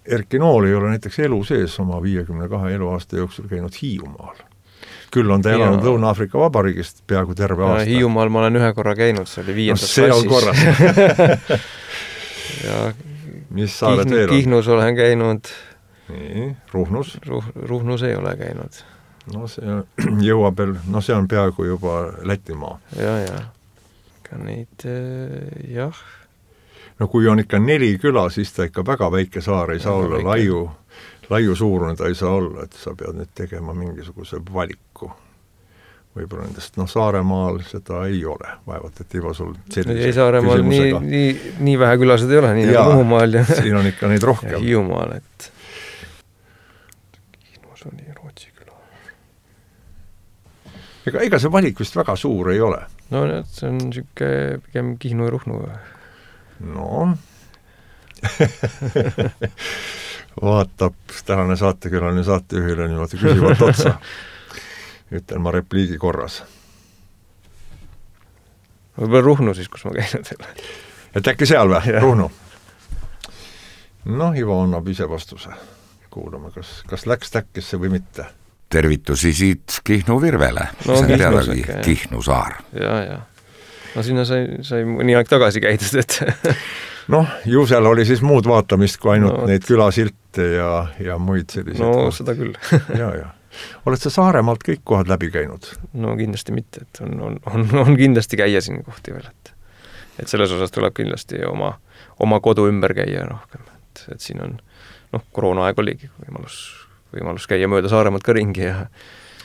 Erki Nool ei ole näiteks elu sees oma viiekümne kahe eluaasta jooksul käinud Hiiumaal. Küll on ta elanud Lõuna-Aafrika Vabariigist peaaegu terve aasta. Hiiumaal ma olen ühe korra käinud, see oli viiendas no, see klassis. ja mis saared veel on? Kihnus olen käinud. Nii, Ruhnus? Ruh, Ruhnus ei ole käinud. No see jõuab veel, no see on peaaegu juba Lätimaa. Ja, ja. Ka neid, jah. No kui on ikka neli küla, siis ta ikka väga väike saar ei saa väga olla, laiu, laiu suurune ta ei saa olla, et sa pead nüüd tegema mingisuguse valiku. Võib-olla nendest, no Saaremaal seda ei ole, vaevat, et Ivo sul sellise ei, Saaremaal nii, nii, nii vähe külased ei ole, nii ja, nagu Muhumaal. Ja siin on ikka neid rohkem. Ja Hiiumaal, et Kihnus oli Rootsiküla. Ega, ega see valik vist väga suur ei ole. No see on siuke pigem Kihnu ja Ruhnu. No, vaatab tänane saatekülaline saatejuhile niimoodi küsivat otsa. Ütlen ma repliigi korras. Võib-olla Ruhnu siis, kus ma käinud ei ole. Et äkki seal või? Ruhnu? No, Ivo annab ise vastuse. Kuulame, kas, kas läks täkkesse või mitte. Tervitusi siit Kihnu Virvele. No, see on teadagi Kihnu saar. Ja, ja. No sinna sai, sai mõni aeg tagasi käidud, et... noh, ju seal oli siis muud vaatamist kui ainult no, neid külasilte ja, ja muid selliseid. No kohti. Seda küll. ja, ja. Oled sa Saaremaalt kõik kohad läbi käinud? No kindlasti mitte, et on, on, on, on kindlasti käia siin kohti veel, et, et selles osas tuleb kindlasti oma, oma kodu ümber käia rohkem, et, et siin on, noh, koroonaaeg oligi võimalus, võimalus käia mööda Saaremaalt ka ringi ja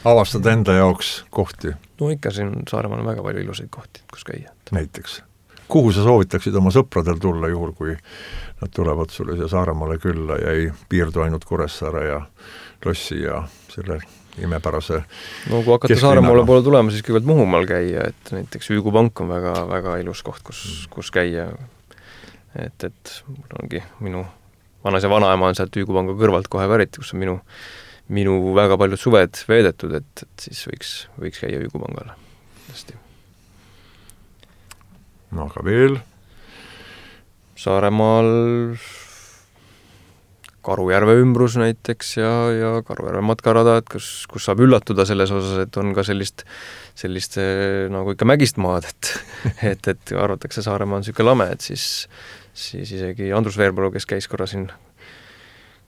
avastada enda jaoks kohti? No ikka siin Saaremaal on väga palju ilusaid kohti, kus käia. Näiteks. Kuhu sa soovitaksid oma sõpradel tulla juhul, kui nad tulevad sulle siia Saaremaale külla ja ei piirdu ainult Kuressaare ja Lossi ja selle imepärase no kui hakata Saaremaale poole tulema, siis kõigepealt Muhumaal käia, et näiteks Üügu pank on väga, väga ilus koht, kus, kus käia. Et, et mul ongi minu vanas ja vanaema on sealt Üügu panga kõrvalt kohe pärit, kus on minu minu väga paljud suved veedetud, et, et siis võiks, võiks käia Üügu pangale. Hästi. No aga veel? Saaremaal Karujärve ümbrus näiteks ja, ja Karujärve matkarada, et kus, kus saab üllatuda selles osas, et on ka sellist, sellist nagu ikka mägist maad, et, et, et arvatakse Saaremaa on siuke lame, et siis, siis isegi Andrus Veerpalu, kes käis korra siin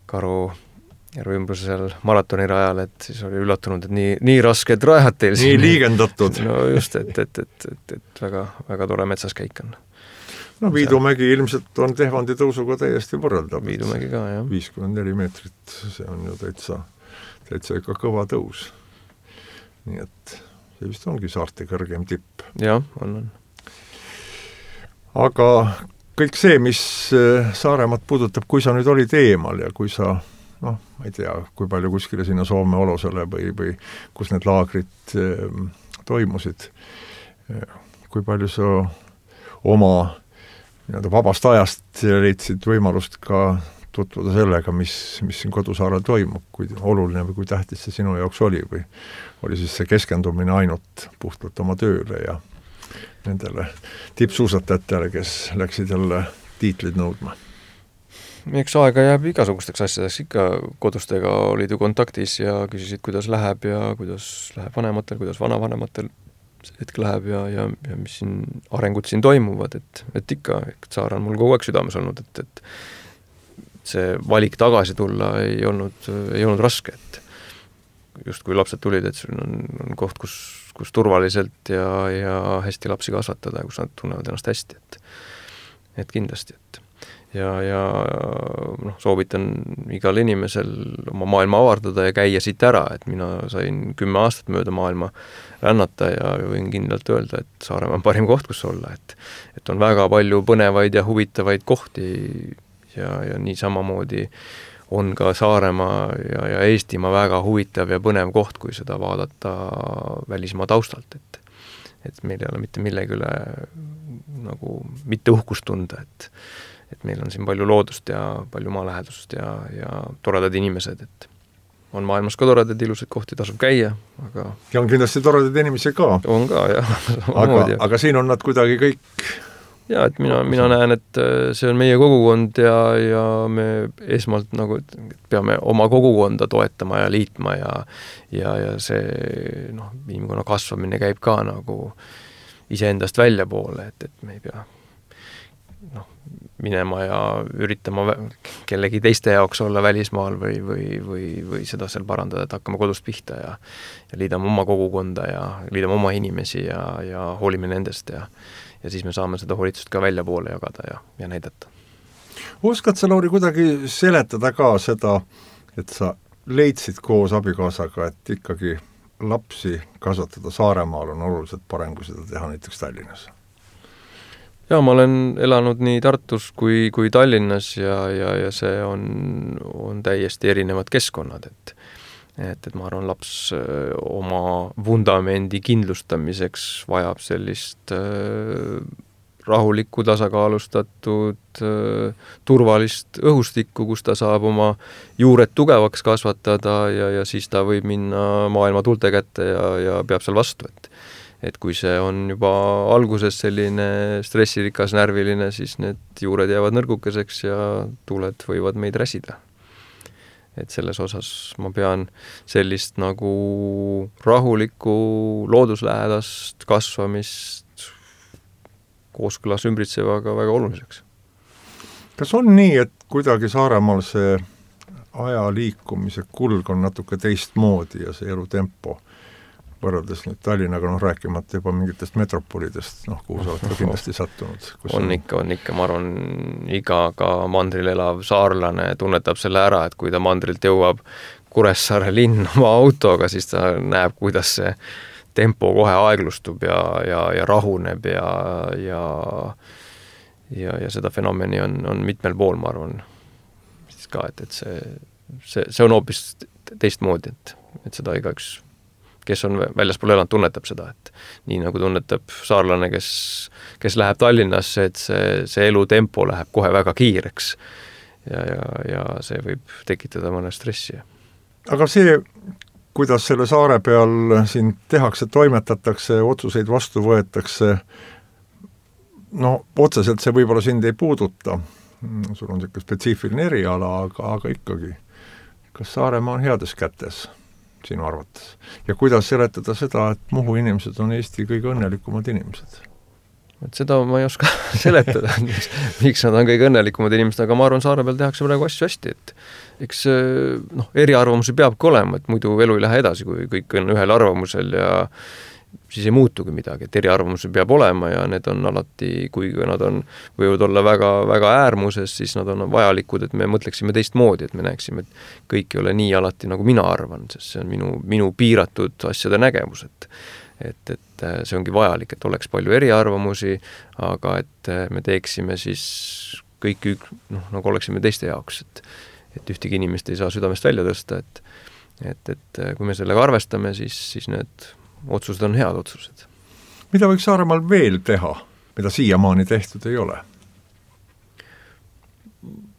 Karu järve ümbruse seal maratoni rajal, et siis oli üllatunud, et nii, nii rasked rajad teil siin. Nii liigendatud. No just, et, et, et, et, et väga, väga tore metsas käik on. No Viidumägi ilmselt on Tehvandi tõusuga täiesti võrreldav. Viidumägi ka, jah. viiskümmend neli meetrit, see on ju täitsa, täitsa ikka kõva tõus. Nii et see vist ongi saarte kõrgem tipp. Jah, on, on. Aga kõik see, mis Saaremaad puudutab, kui sa nüüd olid eemal ja kui sa noh, ma ei tea, kui palju kuskile sinna Soome olosele või, või kus need laagrid e, toimusid. kui palju sa oma nii-öelda vabast ajast leidsid võimalust ka tutvuda sellega, mis, mis siin kodusaarel toimub, kui oluline või kui tähtis see sinu jaoks oli või oli siis see keskendumine ainult puhtalt oma tööle ja nendele tippsuusatajatele, kes läksid jälle tiitlid nõudma? Eks aega jääb igasugusteks asjadeks, ikka kodustega olid ju kontaktis ja küsisid, kuidas läheb ja kuidas läheb vanematel, kuidas vanavanematel hetk läheb ja, ja, ja mis siin arengud siin toimuvad, et, et ikka, et Saar on mul kogu aeg südames olnud, et, et see valik tagasi tulla ei olnud, ei olnud raske, et just kui lapsed tulid, et sul on, on koht, kus, kus turvaliselt ja, ja hästi lapsi kasvatada ja kus nad tunnevad ennast hästi, et, et kindlasti, et ja, ja noh, soovitan igal inimesel oma maailma avardada ja käia siit ära, et mina sain kümme aastat mööda maailma rännata ja võin kindlalt öelda, et Saaremaa on parim koht, kus olla, et, et on väga palju põnevaid ja huvitavaid kohti ja, ja nii samamoodi on ka Saaremaa ja, ja Eestimaa väga huvitav ja põnev koht, kui seda vaadata välismaa taustalt, et, et meil ei ole mitte millegi üle nagu mitte uhkust tunda, et et meil on siin palju loodust ja palju maalähedust ja, ja toredad inimesed, et on maailmas ka toredad ilusad kohti, tasub käia, aga ja on kindlasti toredad inimesi ka. On ka, jah. aga, aga siin on nad kuidagi kõik ja, et mina, mina näen, et see on meie kogukond ja, ja me esmalt nagu peame oma kogukonda toetama ja liitma ja, ja, ja see noh, inimkonna kasvamine käib ka nagu iseendast välja poole, et, et me ei pea noh, minema ja üritama kellegi teiste jaoks olla välismaal või, või, või, või seda seal parandada, et hakkame kodust pihta ja, ja liidame oma kogukonda ja liidame oma inimesi ja, ja hoolime nendest ja, ja siis me saame seda hoolitsust ka välja poole jagada ja, ja näidata. Oskad sa, Lauri, kuidagi seletada ka seda, et sa leidsid koos abikaasaga, et ikkagi lapsi kasvatada Saaremaal on oluliselt parem, kui seda teha näiteks Tallinnas? Ja ma olen elanud nii Tartus kui, kui Tallinnas ja, ja, ja see on, on täiesti erinevad keskkonnad, et, et, et ma arvan, laps oma vundamendi kindlustamiseks vajab sellist äh, rahulikku, tasakaalustatud, äh, turvalist õhustikku, kus ta saab oma juured tugevaks kasvatada ja, ja siis ta võib minna maailma tuulte kätte ja, ja peab seal vastu, et et kui see on juba alguses selline stressirikas, närviline, siis need juured jäävad nõrgukeseks ja tuuled võivad meid räsida. Et selles osas ma pean sellist nagu rahulikku looduslähedast kasvamist kooskõlas ümbritsevaga väga oluliseks. Kas on nii, et kuidagi Saaremaal see aja liikumise kulg on natuke teistmoodi ja see elutempo võrreldes nüüd Tallinnaga, noh rääkimata juba mingitest metropolidest, noh kuhu sa oled ka kindlasti sattunud. On, on ikka, on ikka, ma arvan, iga ka mandril elav saarlane tunnetab selle ära, et kui ta mandrilt jõuab Kuressaare linn oma autoga, siis ta näeb, kuidas see tempo kohe aeglustub ja, ja, ja rahuneb ja, ja, ja, ja seda fenomeni on, on mitmel pool, ma arvan, siis ka, et, et see, see, see on hoopis teistmoodi, et, et seda igaüks kes on väljaspool elanud, tunnetab seda, et nii nagu tunnetab saarlane, kes, kes läheb Tallinnasse, et see, see elutempo läheb kohe väga kiireks ja, ja, ja see võib tekitada mõne stressi. Aga see, kuidas selle saare peal siin tehakse, toimetatakse, otsuseid vastu võetakse, no otseselt see võib-olla sind ei puuduta, sul on selline spetsiifiline eriala, aga, aga ikkagi, kas Saaremaa on heades kätes sinu arvates? Ja kuidas seletada seda, et Muhu inimesed on Eesti kõige õnnelikumad inimesed? Et seda ma ei oska seletada, miks nad on kõige õnnelikumad inimesed, aga ma arvan, saare peal tehakse praegu asju hästi, et eks noh, eriarvamusi peabki olema, et muidu elu ei lähe edasi, kui kõik on ühel arvamusel ja siis ei muutugi midagi, et eriarvamusi peab olema ja need on alati, kui nad on, võivad olla väga, väga äärmuses, siis nad on vajalikud, et me mõtleksime teistmoodi, et me näeksime, et kõik ei ole nii alati, nagu mina arvan, sest see on minu, minu piiratud asjade nägemus, et, et, et see ongi vajalik, et oleks palju eriarvamusi, aga et me teeksime siis kõik, noh, nagu oleksime teiste jaoks, et, et ühtegi inimest ei saa südamest välja tõsta, et, et, et kui me sellega arvestame, siis, siis need otsused on head otsused. mida võiks Saaremaal veel teha, mida siiamaani tehtud ei ole?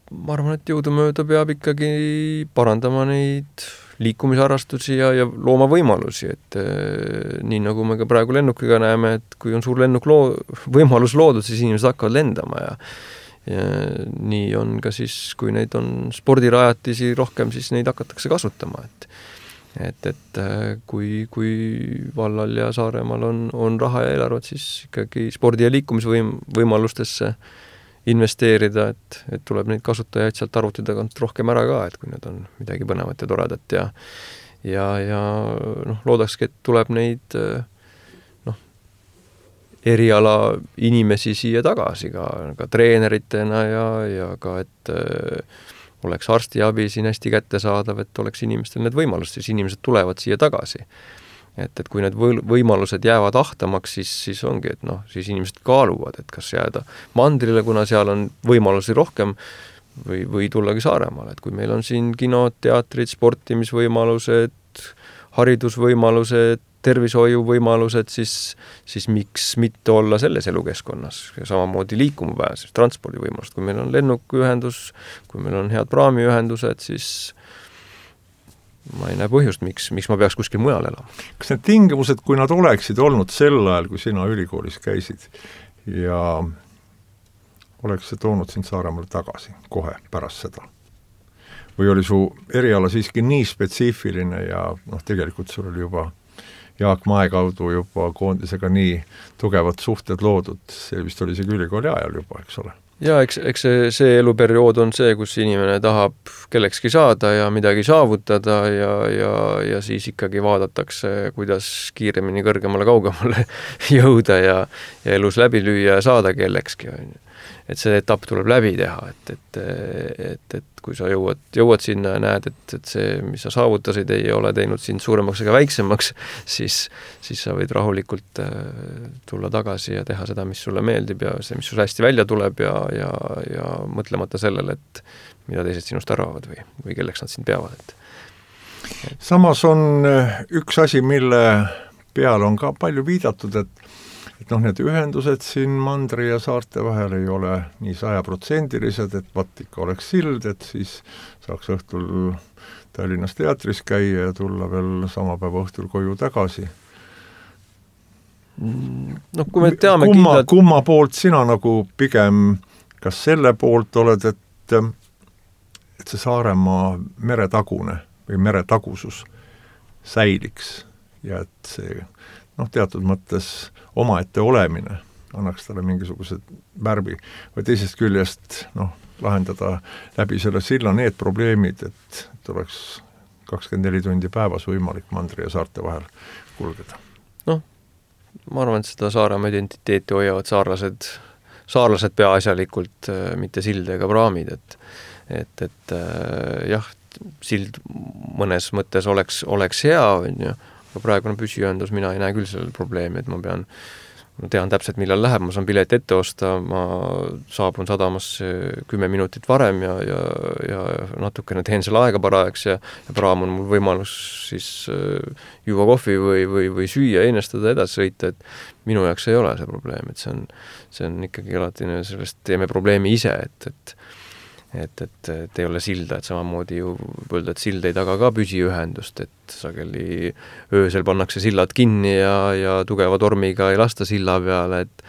Ma arvan, et jõudumööda peab ikkagi parandama neid liikumisharrastusi ja, ja looma võimalusi, et eh, nii nagu me ka praegu lennukiga näeme, et kui on suur lennuk loo, võimalus loodud, siis inimesed hakkavad lendama ja, ja nii on ka siis, kui neid on spordirajatisi rohkem, siis neid hakatakse kasutama, et et, et kui, kui vallal ja Saaremaal on, on raha ja eelarvet, siis ikkagi spordi- ja liikumisvõim, võimalustesse investeerida, et, et tuleb neid kasutajaid sealt arvuti tagant rohkem ära ka, et kui need on midagi põnevat ja toredat ja ja, ja noh, loodakski, et tuleb neid noh, eriala inimesi siia tagasi ka, ka treeneritena ja, ja ka, et oleks arstiabi siin hästi kättesaadav, et oleks inimestel need võimalused, siis inimesed tulevad siia tagasi. Et, et kui need võimalused jäävad ahtamaks, siis, siis ongi, et noh, siis inimesed kaaluvad, et kas jääda mandrile, kuna seal on võimalusi rohkem või, või tullagi Saaremaale, et kui meil on siin kinod, teatrid, sportimisvõimalused, haridusvõimalused, tervishoiuvõimalused, siis, siis miks mitte olla selles elukeskkonnas ja samamoodi liikuma pääses, transpordivõimalused, kui meil on lennukiühendus, kui meil on head praamiühendused, siis ma ei näe põhjust, miks, miks ma peaks kuskil mujal elama. Kas need tingimused, kui nad oleksid olnud sel ajal, kui sina ülikoolis käisid ja oleks see toonud sind Saaremaale tagasi kohe pärast seda? Või oli su eriala siiski nii spetsiifiline ja noh, tegelikult sul oli juba Jaak Mae kaudu juba koondisega nii tugevad suhted loodud, see vist oli see ülikooli ajal juba, eks ole? Ja eks, eks see, see eluperiood on see, kus inimene tahab kellekski saada ja midagi saavutada ja, ja, ja siis ikkagi vaadatakse, kuidas kiiremini kõrgemale kaugemale jõuda ja, ja elus läbi lüüa ja saada kellekski. Et see etapp tuleb läbi teha, et, et, et, et kui sa jõuad, jõuad sinna ja näed, et, et see, mis sa saavutasid, ei ole teinud sind suuremaks ega väiksemaks, siis, siis sa võid rahulikult tulla tagasi ja teha seda, mis sulle meeldib ja see, mis sul hästi välja tuleb ja, ja, ja mõtlemata sellele, et mida teised sinust arvavad või, või kelleks nad sind peavad. Et, et. Samas on üks asi, mille peale on ka palju viidatud, et et noh, need ühendused siin mandri ja saarte vahel ei ole nii sajaprotsendilised, et vaat ikka oleks sild, et siis saaks õhtul Tallinnas teatris käia ja tulla veel sama päeva õhtul koju tagasi. No kui me teame kumma, kindlalt... kumma poolt sina nagu pigem, kas selle poolt oled, et, et see Saaremaa meretagune või meretagusus säiliks ja et see noh, teatud mõttes omaette olemine annaks talle mingisuguse värvi või teisest küljest noh, lahendada läbi selle silla need probleemid, et, et oleks kakskümmend neli tundi päevas võimalik mandri ja saarte vahel kulgeda. Noh, ma arvan, et seda Saaremaa identiteeti hoiavad saarlased, saarlased peaasjalikult, mitte sild ega praamid, et, et, et jah, sild mõnes mõttes oleks, oleks hea, on ju, aga praegune püsiühendus, mina ei näe küll sellel probleemi, et ma pean, ma tean täpselt, millal läheb, ma saan pileti ette osta, ma saabun sadamasse kümme minutit varem ja, ja, ja natukene teen selle aega parajaks ja, ja praam on mul võimalus siis juua kohvi või, või, või süüa, einestada, edasi sõita, et minu jaoks ei ole see probleem, et see on, see on ikkagi alati sellest teeme probleemi ise, et, et Et, et, et ei ole silda, et samamoodi ju öelda, et sild ei taga ka püsiühendust, et sageli öösel pannakse sillad kinni ja, ja tugeva tormiga ei lasta silla peale, et,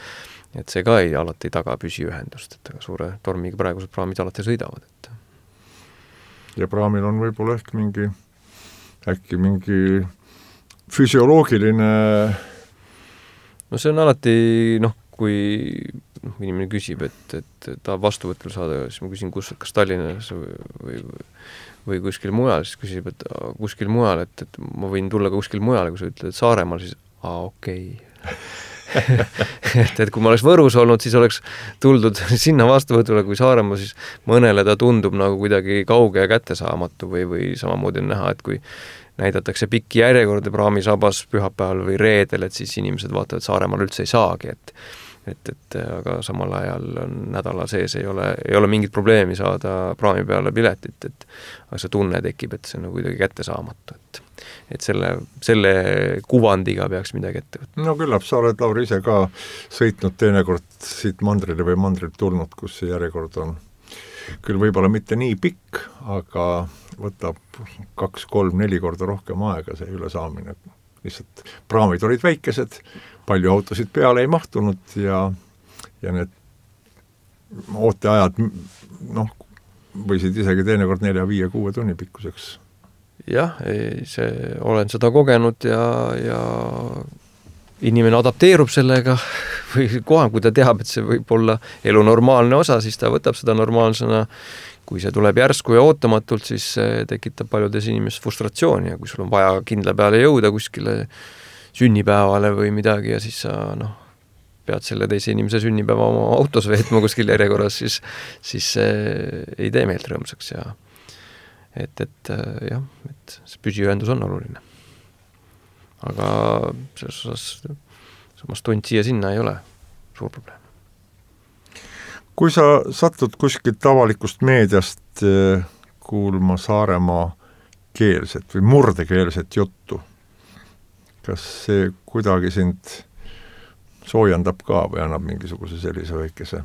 et see ka ei alati ei taga püsiühendust, et aga suure tormiga praegused praamid alati sõidavad. Et. Ja praamil on võib-olla ehk mingi, äkki mingi füsioloogiline... No see on alati, noh, kui inimene küsib, et, et ta vastuvõtul saada, siis ma küsin, kus, kas Tallinnas või, või, või kuskil mujal, siis küsib, et kuskil mujal, et, et ma võin tulla ka kuskil mujal, kui sa ütled, et Saaremaal, siis aa, okei. et, et kui ma oleks Võrus olnud, siis oleks tuldud sinna vastuvõtule, kui Saaremaal, siis mõnele ta tundub nagu kuidagi kauge ja kättesaamatu või, või samamoodi on näha, et kui näidatakse pikki järjekorde praamisabas pühapäeval või reedel, et siis inimesed vaatavad, et Saaremaal üldse ei saagi, et et, et aga samal ajal on nädala sees ei ole, ei ole mingit probleemi saada praami peale piletit, et aga see tunne tekib, et see on nagu kuidagi kätte saamatu, et et selle, selle kuvandiga peaks midagi ette võtta. No küllap, sa oled, Lauri, ise ka sõitnud teinekord siit mandrile või mandrilt tulnud, kus see järjekord on küll võib-olla mitte nii pikk, aga võtab kaks, kolm, neli korda rohkem aega see ülesaamine. Lihtsalt praamid olid väikesed, palju autosid peale ei mahtunud ja, ja need ooteajad noh, võisid isegi teinekord nelja, viie, kuue tunni pikkuseks. Jah, ei, see, olen seda kogenud ja, ja inimene adapteerub sellega või kohe, kui ta teab, et see võib olla elu normaalne osa, siis ta võtab seda normaalsena. Kui see tuleb järsku ja ootamatult, siis see tekitab paljudes inimestes frustratsiooni ja kui sul on vaja kindla peale jõuda kuskile sünnipäevale või midagi ja siis sa noh, pead selle teise inimese sünnipäeva oma autos veetma kuskil järjekorras, siis, siis see ei tee meelt rõõmsaks ja et, et jah, et see püsiühendus on oluline. Aga selles osas samas tund siia sinna ei ole suur probleem. Kui sa satud kuskilt avalikust meediast kuulma Saaremaa keelset või murdekeelset juttu, kas see kuidagi sind soojendab ka või annab mingisuguse sellise väikese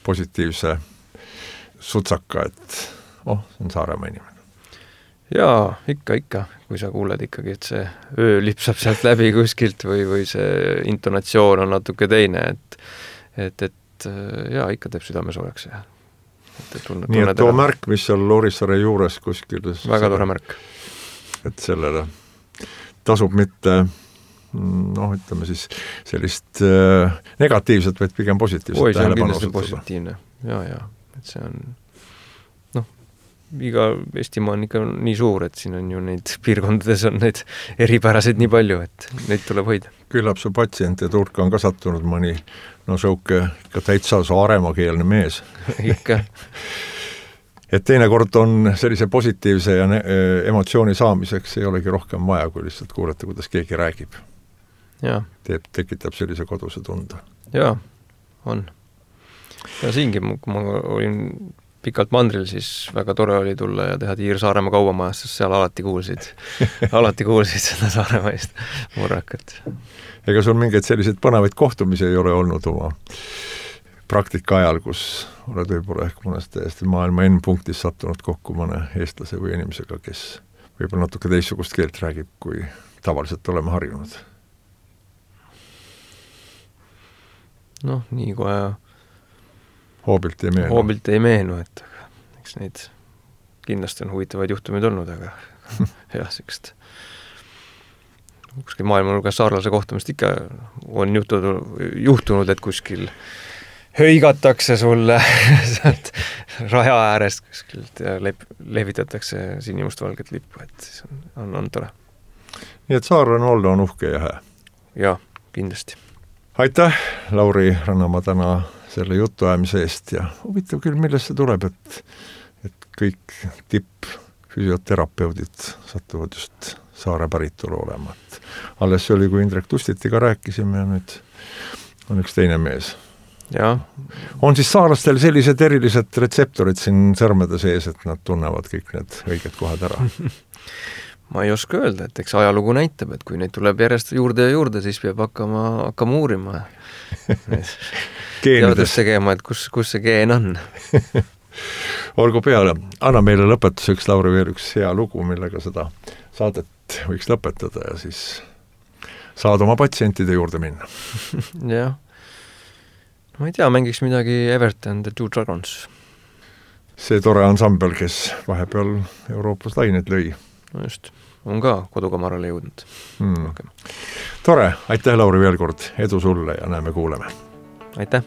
positiivse sutsaka, et oh, see on Saaremaa inimene? Jaa, ikka, ikka. Kui sa kuuled ikkagi, et see öö lipsab sealt läbi kuskilt või, või see intonatsioon on natuke teine, et, et, et jaa, ikka teeb südame soojaks. Ja. Et, et tunne, nii, et too ära. Märk, mis seal Loorissaare juures kuskil väga tore märk. Et sellele tasub mitte noh, ütleme siis sellist äh, negatiivset, vaid pigem positiivset. Oi, see on kindlasti positiivne. Jaa, jaa. Et see on noh, iga Eestimaa on ikka nii suur, et siin on ju neid piirkondades on neid eripäraseid nii palju, et neid tuleb hoida. Küllap su patsientide hulka on ka sattunud mõni no sõuke ikka täitsa Saaremaa-keelne mees. Ikka. Et teinekord on sellise positiivse ja ne- emotsiooni saamiseks ei olegi rohkem vaja, kui lihtsalt kuulata, kuidas keegi räägib. Ja. Teeb, tekitab sellise koduse tunde. Jaa, on. Ja siingi, kui ma olin pikalt mandril, siis väga tore oli tulla ja teha tiir Saaremaa kaubamajas, sest seal alati kuulsid, alati kuulsid seda Saaremaist murrakat. Ega sul mingeid selliseid põnevaid kohtumisi ei ole olnud oma praktika ajal, kus oled võib-olla ehk mõnest täiesti maailma N-punktis sattunud kokku mõne eestlase või inimesega, kes võib-olla natuke teistsugust keelt räägib, kui tavaliselt oleme harjunud? Noh, nii kohe hoobilt ei meenu. Hoobilt ei meenu, et eks neid kindlasti on huvitavaid juhtumid olnud, aga jah, siukest kuskil maailmanurgas saarlase kohtumist ikka on juhtunud, juhtunud, et kuskil höigatakse sulle sealt raja äärest kuskilt ja lep, levitatakse sinimustvalget lippu, et siis on, on, on tore. Nii et saarlane olla on uhke ja hää. Jaa, kindlasti. Aitäh, Lauri Rannamaa, täna selle jutuajamise eest ja huvitav küll, millest see tuleb, et, et kõik tipp füsioterapeudid satuvad just Saare päritolu olema. Et alles see oli, kui Indrek Tustitiga rääkisime ja nüüd on üks teine mees. Ja. On siis saarlastel sellised erilised retseptorid siin sõrmede sees, et nad tunnevad kõik need õiged kohad ära? Ma ei oska öelda, et eks ajalugu näitab, et kui neid tuleb järjest juurde ja juurde, siis peab hakkama, hakkama uurima. Teadus tegema, et kus, kus see geen on. Olgu peale, anna meile lõpetuseks, Lauri, veel üks hea lugu, millega seda saadet võiks lõpetada ja siis saad oma patsientide juurde minna. Jah. Ma ei tea, mängiks midagi Everton The Two Dragons. See tore ansambel, kes vahepeal Euroopas lained lõi. No just, on ka kodukamarale jõudnud. Hmm. Tore, aitäh, Lauri, veel kord. Edu sulle ja näeme, kuuleme. Aitäh.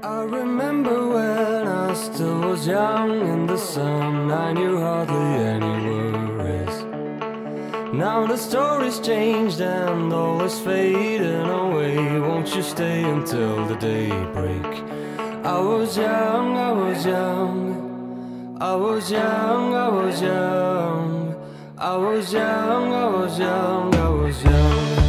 I remember when I still was young in the sun, I knew hardly any worries. Now the story's changed and all is fading away. Won't you stay until the daybreak? I was young, I was young, I was young, I was young, I was young, I was young, I was young.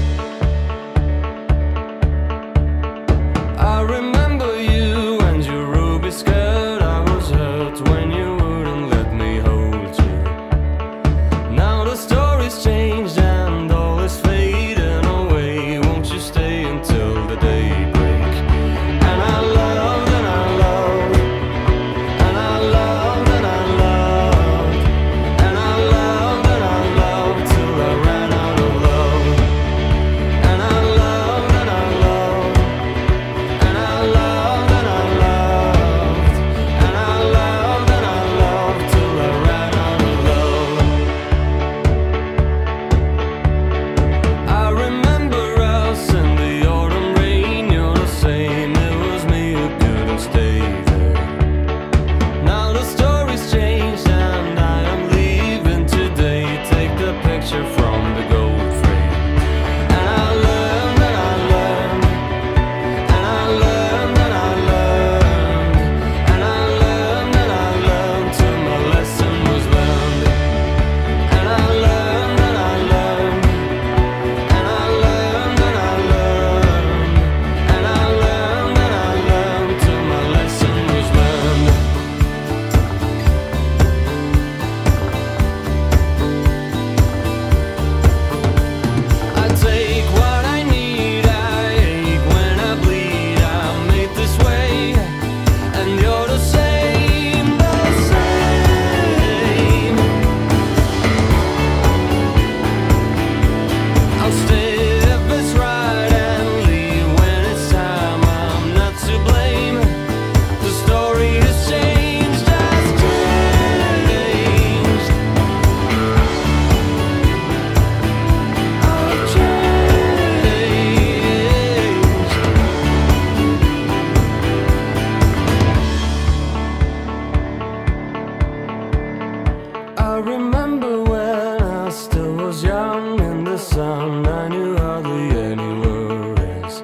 sound I knew hardly anywhere is.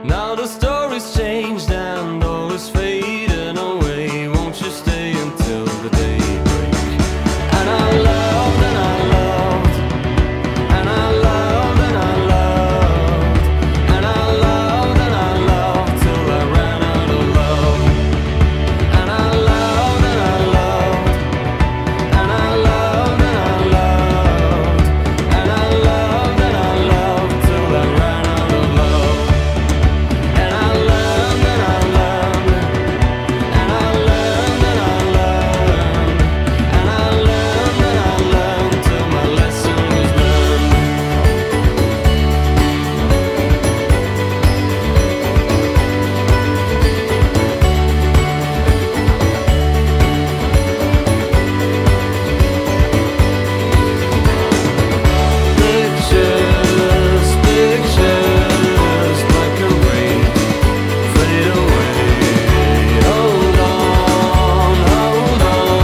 Now the story's changed and all is fading away. Won't you stay until the daybreak? And I loved and I loved, and I loved and I loved, and I loved and I loved till I ran out of love. And I loved and I loved, and I loved and I loved, and I loved and I loved till I ran out of love. And I learned and I learned, and I learned and I learned, and I learned and I learned till my lesson was learned. Pictures, pictures, black and white, fade away. Hold on, hold on,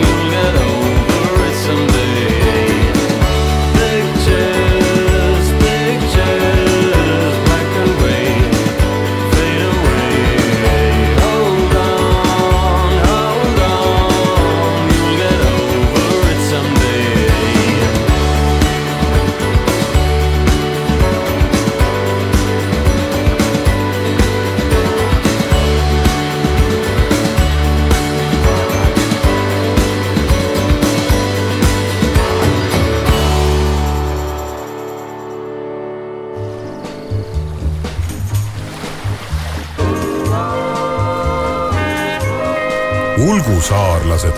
you'll get over it someday. Pictures, pictures, black and white, fade away. Hold on, hold on, you'll get over it someday. Ulgusaarlased